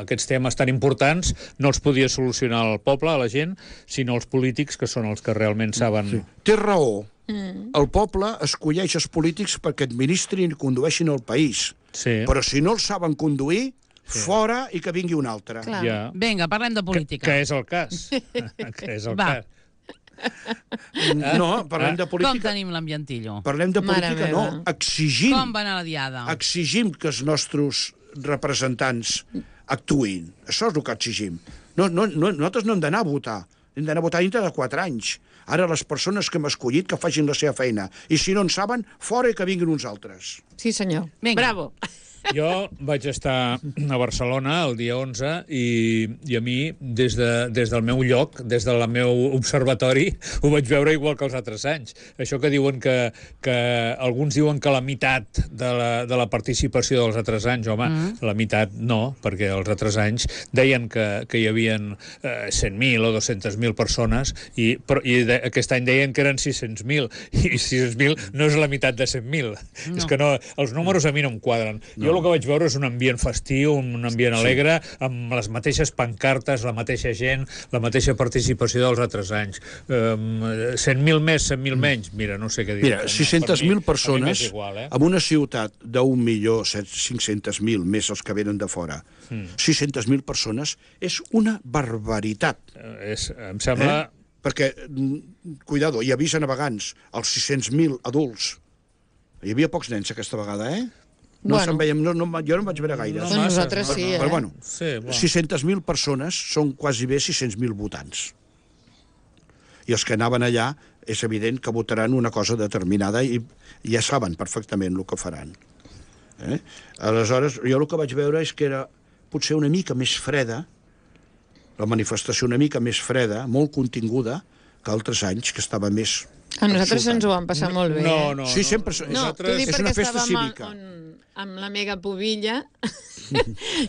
[SPEAKER 3] aquests temes tan importants, no els podia solucionar el poble, a la gent, sinó els polítics, que són els que realment saben...
[SPEAKER 4] Té raó. El poble escolleix els polítics perquè administrin i condueixin el país. Però si no els saben conduir, fora i que vingui un altre.
[SPEAKER 1] Vinga, parlem de política.
[SPEAKER 3] Que és el cas. Que és el cas.
[SPEAKER 4] No, parlem de
[SPEAKER 1] Com
[SPEAKER 4] política.
[SPEAKER 1] tenim l'ambientillo?
[SPEAKER 4] Parlem de política,
[SPEAKER 2] Mare
[SPEAKER 4] no.
[SPEAKER 2] meva.
[SPEAKER 4] Exigim.
[SPEAKER 1] Com va anar la diada?
[SPEAKER 4] Exigim que els nostres representants actuïn. Això és el que exigim. Nosaltres no hem d'anar a votar. Hem d'anar a votar dintre de 4 anys. Ara les persones que hem escollit que facin la seva feina. I si no en saben, fora i que vinguin uns altres.
[SPEAKER 2] Sí, senyor.
[SPEAKER 1] Vinga.
[SPEAKER 2] Bravo.
[SPEAKER 3] Jo vaig estar a Barcelona el dia 11 i a mi, des del meu lloc, des del meu observatori, ho vaig veure igual que els altres anys. Això que diuen que alguns diuen que la meitat de la participació dels altres anys, home, la meitat no, perquè els altres anys deien que hi havia 100.000 o 200.000 persones i aquest any deien que eren 600.000 i 600.000 no és la meitat de 100.000.
[SPEAKER 1] No.
[SPEAKER 3] És que no, els números a mi no em quadren. Jo el que vaig veure és un ambient festiu, un ambient alegre, amb les mateixes pancartes, la mateixa gent, la mateixa participació dels altres anys. 100.000 més, 100.000 menys, mira, no sé què dir.
[SPEAKER 4] Mira, 600.000 persones
[SPEAKER 3] igual,
[SPEAKER 4] en una ciutat d'1.500.000 més els que venen de fora. 600.000 persones és una barbaritat.
[SPEAKER 3] Em sembla...
[SPEAKER 4] Perquè, cuidado, hi havia navegants, els 600.000 adults. Hi havia pocs nens aquesta vegada, No
[SPEAKER 2] Bueno.
[SPEAKER 4] se'n veiem, jo no en vaig veure gaire.
[SPEAKER 2] Doncs nosaltres sí,
[SPEAKER 4] Però bueno,
[SPEAKER 3] Sí, bueno.
[SPEAKER 4] 600.000 persones són quasi bé 600.000 votants. I els que anaven allà és evident que votaran una cosa determinada i ja saben perfectament el que faran. Aleshores, jo el que vaig veure és que era potser una mica més freda, la manifestació una mica més freda, molt continguda, que altres anys, que estava més...
[SPEAKER 2] A nosaltres ens ho vam passar molt bé.
[SPEAKER 3] No.
[SPEAKER 4] Sí, sempre...
[SPEAKER 2] No, t'ho dic
[SPEAKER 4] és
[SPEAKER 2] perquè
[SPEAKER 4] una festa
[SPEAKER 2] estàvem
[SPEAKER 4] cívica.
[SPEAKER 2] amb la mega pubilla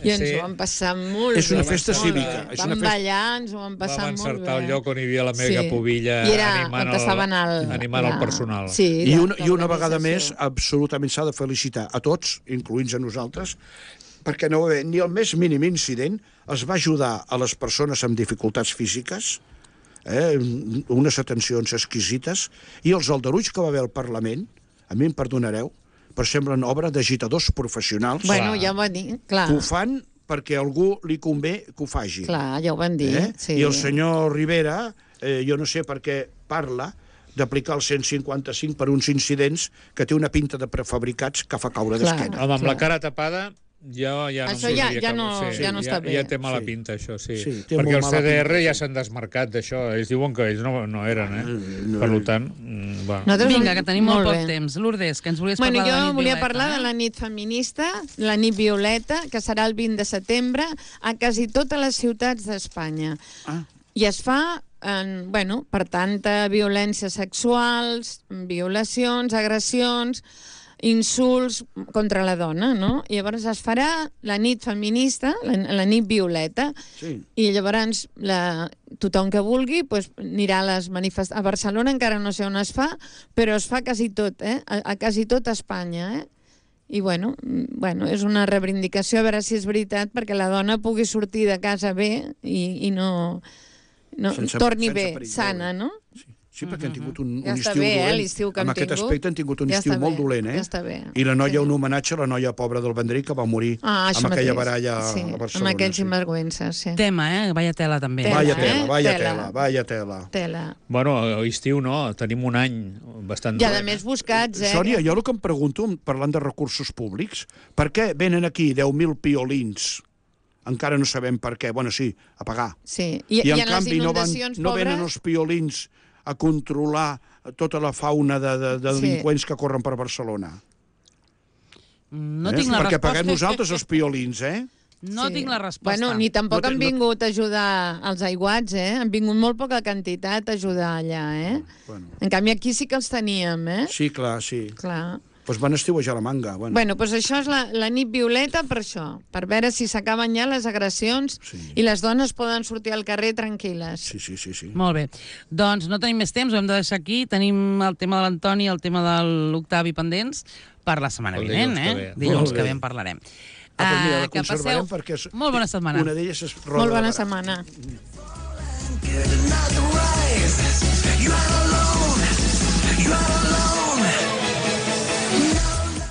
[SPEAKER 2] i ens ho vam passar molt bé.
[SPEAKER 4] És una festa
[SPEAKER 2] molt
[SPEAKER 4] cívica,
[SPEAKER 2] bé.
[SPEAKER 4] és una
[SPEAKER 2] Vam
[SPEAKER 4] festa-
[SPEAKER 2] ballar, ens ho vam passar
[SPEAKER 3] Vam
[SPEAKER 2] molt bé.
[SPEAKER 3] encertar el lloc on hi havia la mega pubilla
[SPEAKER 2] I era
[SPEAKER 3] animant
[SPEAKER 2] on estaven
[SPEAKER 3] animant el personal.
[SPEAKER 2] Sí,
[SPEAKER 4] I una vegada més, absolutament s'ha de felicitar a tots, incloents a nosaltres, perquè no va haver ni el més mínim incident, es va ajudar a les persones amb dificultats físiques, unes atencions exquisites, i els aldarulls que va haver al Parlament, a mi em perdonareu, però semblen obra d'agitadors professionals
[SPEAKER 2] Bueno, ja ho van dir, clar.
[SPEAKER 4] que ho fan perquè a algú li convé que ho faci.
[SPEAKER 2] Clar, ja ho van dir. Sí.
[SPEAKER 4] I el senyor Rivera, jo no sé per què parla d'aplicar el 155 per uns incidents que té una pinta de prefabricats que fa caure
[SPEAKER 2] Clar.
[SPEAKER 4] d'esquena.
[SPEAKER 3] Home, amb la cara tapada ja
[SPEAKER 2] Això
[SPEAKER 3] no
[SPEAKER 2] ja
[SPEAKER 3] no
[SPEAKER 2] està bé.
[SPEAKER 3] Ja té mala
[SPEAKER 4] Sí.
[SPEAKER 3] pinta, això, sí.
[SPEAKER 4] Sí, té
[SPEAKER 3] perquè
[SPEAKER 4] molt
[SPEAKER 3] els
[SPEAKER 4] mala
[SPEAKER 3] CDR
[SPEAKER 4] pinta,
[SPEAKER 3] ja
[SPEAKER 4] sí.
[SPEAKER 3] s'han desmarcat d'això. Ells diuen que ells no eren, Per tant, va.
[SPEAKER 2] Nosaltres
[SPEAKER 1] Vinga, que tenim molt
[SPEAKER 2] bé.
[SPEAKER 1] poc temps. Lourdes, que ens volies
[SPEAKER 2] Bueno,
[SPEAKER 1] parlar de la
[SPEAKER 2] jo
[SPEAKER 1] nit
[SPEAKER 2] volia
[SPEAKER 1] violeta,
[SPEAKER 2] parlar de la nit feminista, la nit violeta, que serà el 20 de setembre a quasi totes les ciutats d'Espanya. I es fa per tanta violències sexuals, violacions, agressions, insults contra la dona, no? I llavors es farà la nit feminista, la nit violeta,
[SPEAKER 4] Sí.
[SPEAKER 2] i llavors tothom que vulgui anirà a les manifestacions. A Barcelona encara no sé on es fa, però es fa quasi tot, a quasi tot Espanya, I bueno, és una reivindicació, a veure si és veritat, perquè la dona pugui sortir de casa bé i no torni bé,
[SPEAKER 4] perill,
[SPEAKER 2] sana, no?
[SPEAKER 4] Sí, perquè han tingut un
[SPEAKER 2] Ja està
[SPEAKER 4] estiu
[SPEAKER 2] bé,
[SPEAKER 4] dolent.
[SPEAKER 2] l'estiu que
[SPEAKER 4] En
[SPEAKER 2] hem
[SPEAKER 4] aquest
[SPEAKER 2] tingut.
[SPEAKER 4] aspecte han tingut un
[SPEAKER 2] Ja
[SPEAKER 4] estiu
[SPEAKER 2] està
[SPEAKER 4] molt
[SPEAKER 2] bé,
[SPEAKER 4] dolent,
[SPEAKER 2] ja està bé.
[SPEAKER 4] I la noia,
[SPEAKER 2] Sí.
[SPEAKER 4] un homenatge a la noia pobra del Vendrell que va morir
[SPEAKER 2] Això
[SPEAKER 4] amb aquella
[SPEAKER 2] mateix.
[SPEAKER 4] baralla
[SPEAKER 2] Sí,
[SPEAKER 4] a Barcelona.
[SPEAKER 2] amb aquells sinvergüences, sí.
[SPEAKER 1] Tema, vaya tela, també.
[SPEAKER 2] Tela.
[SPEAKER 4] Vaya tela, vaya
[SPEAKER 2] Tela.
[SPEAKER 4] tela, vaya tela.
[SPEAKER 2] Tela.
[SPEAKER 3] Bueno, estiu no, tenim un any bastant
[SPEAKER 2] I a
[SPEAKER 3] dolent.
[SPEAKER 2] més buscats,
[SPEAKER 4] Sònia, jo el que em pregunto, parlant de recursos públics, per què venen aquí 10.000 piolins? Encara no sabem per què. Bueno, sí, a pagar.
[SPEAKER 2] Sí.
[SPEAKER 4] I en
[SPEAKER 2] les
[SPEAKER 4] canvi
[SPEAKER 2] inundacions
[SPEAKER 4] no venen els piolins a controlar tota la fauna de delinqüents que corren per Barcelona.
[SPEAKER 1] No tinc la
[SPEAKER 4] Perquè
[SPEAKER 1] resposta.
[SPEAKER 4] paguem nosaltres els piolins,
[SPEAKER 1] No tinc la resposta.
[SPEAKER 2] Bueno, ni tampoc
[SPEAKER 4] No
[SPEAKER 2] han
[SPEAKER 4] té-
[SPEAKER 2] vingut a ajudar els aiguats, Han vingut molt poca quantitat a ajudar allà,
[SPEAKER 4] Bueno.
[SPEAKER 2] En canvi, aquí sí que els teníem,
[SPEAKER 4] Sí, clar, sí.
[SPEAKER 2] Clar.
[SPEAKER 4] Doncs van estiuejar la manga.
[SPEAKER 2] Bueno, doncs això és la nit violeta per això, per veure si s'acaben ja les agressions
[SPEAKER 4] Sí.
[SPEAKER 2] i les dones poden sortir al carrer tranquil·les.
[SPEAKER 4] Sí.
[SPEAKER 1] Molt bé. Doncs no tenim més temps, ho hem de deixar aquí. Tenim el tema de l'Antoni i el tema de l'Octavi pendents per la setmana
[SPEAKER 3] El
[SPEAKER 1] vinent,
[SPEAKER 3] dilluns que ve.
[SPEAKER 1] Dilluns
[SPEAKER 4] Molt
[SPEAKER 1] que
[SPEAKER 4] bé.
[SPEAKER 1] ve en parlarem.
[SPEAKER 4] Doncs mira, la
[SPEAKER 1] Que
[SPEAKER 4] conservarem
[SPEAKER 1] passeu
[SPEAKER 4] perquè és...
[SPEAKER 1] molt bona setmana.
[SPEAKER 4] Una d'elles és Roda
[SPEAKER 2] Molt
[SPEAKER 4] de
[SPEAKER 2] bona
[SPEAKER 4] Barà.
[SPEAKER 2] setmana.
[SPEAKER 5] Get another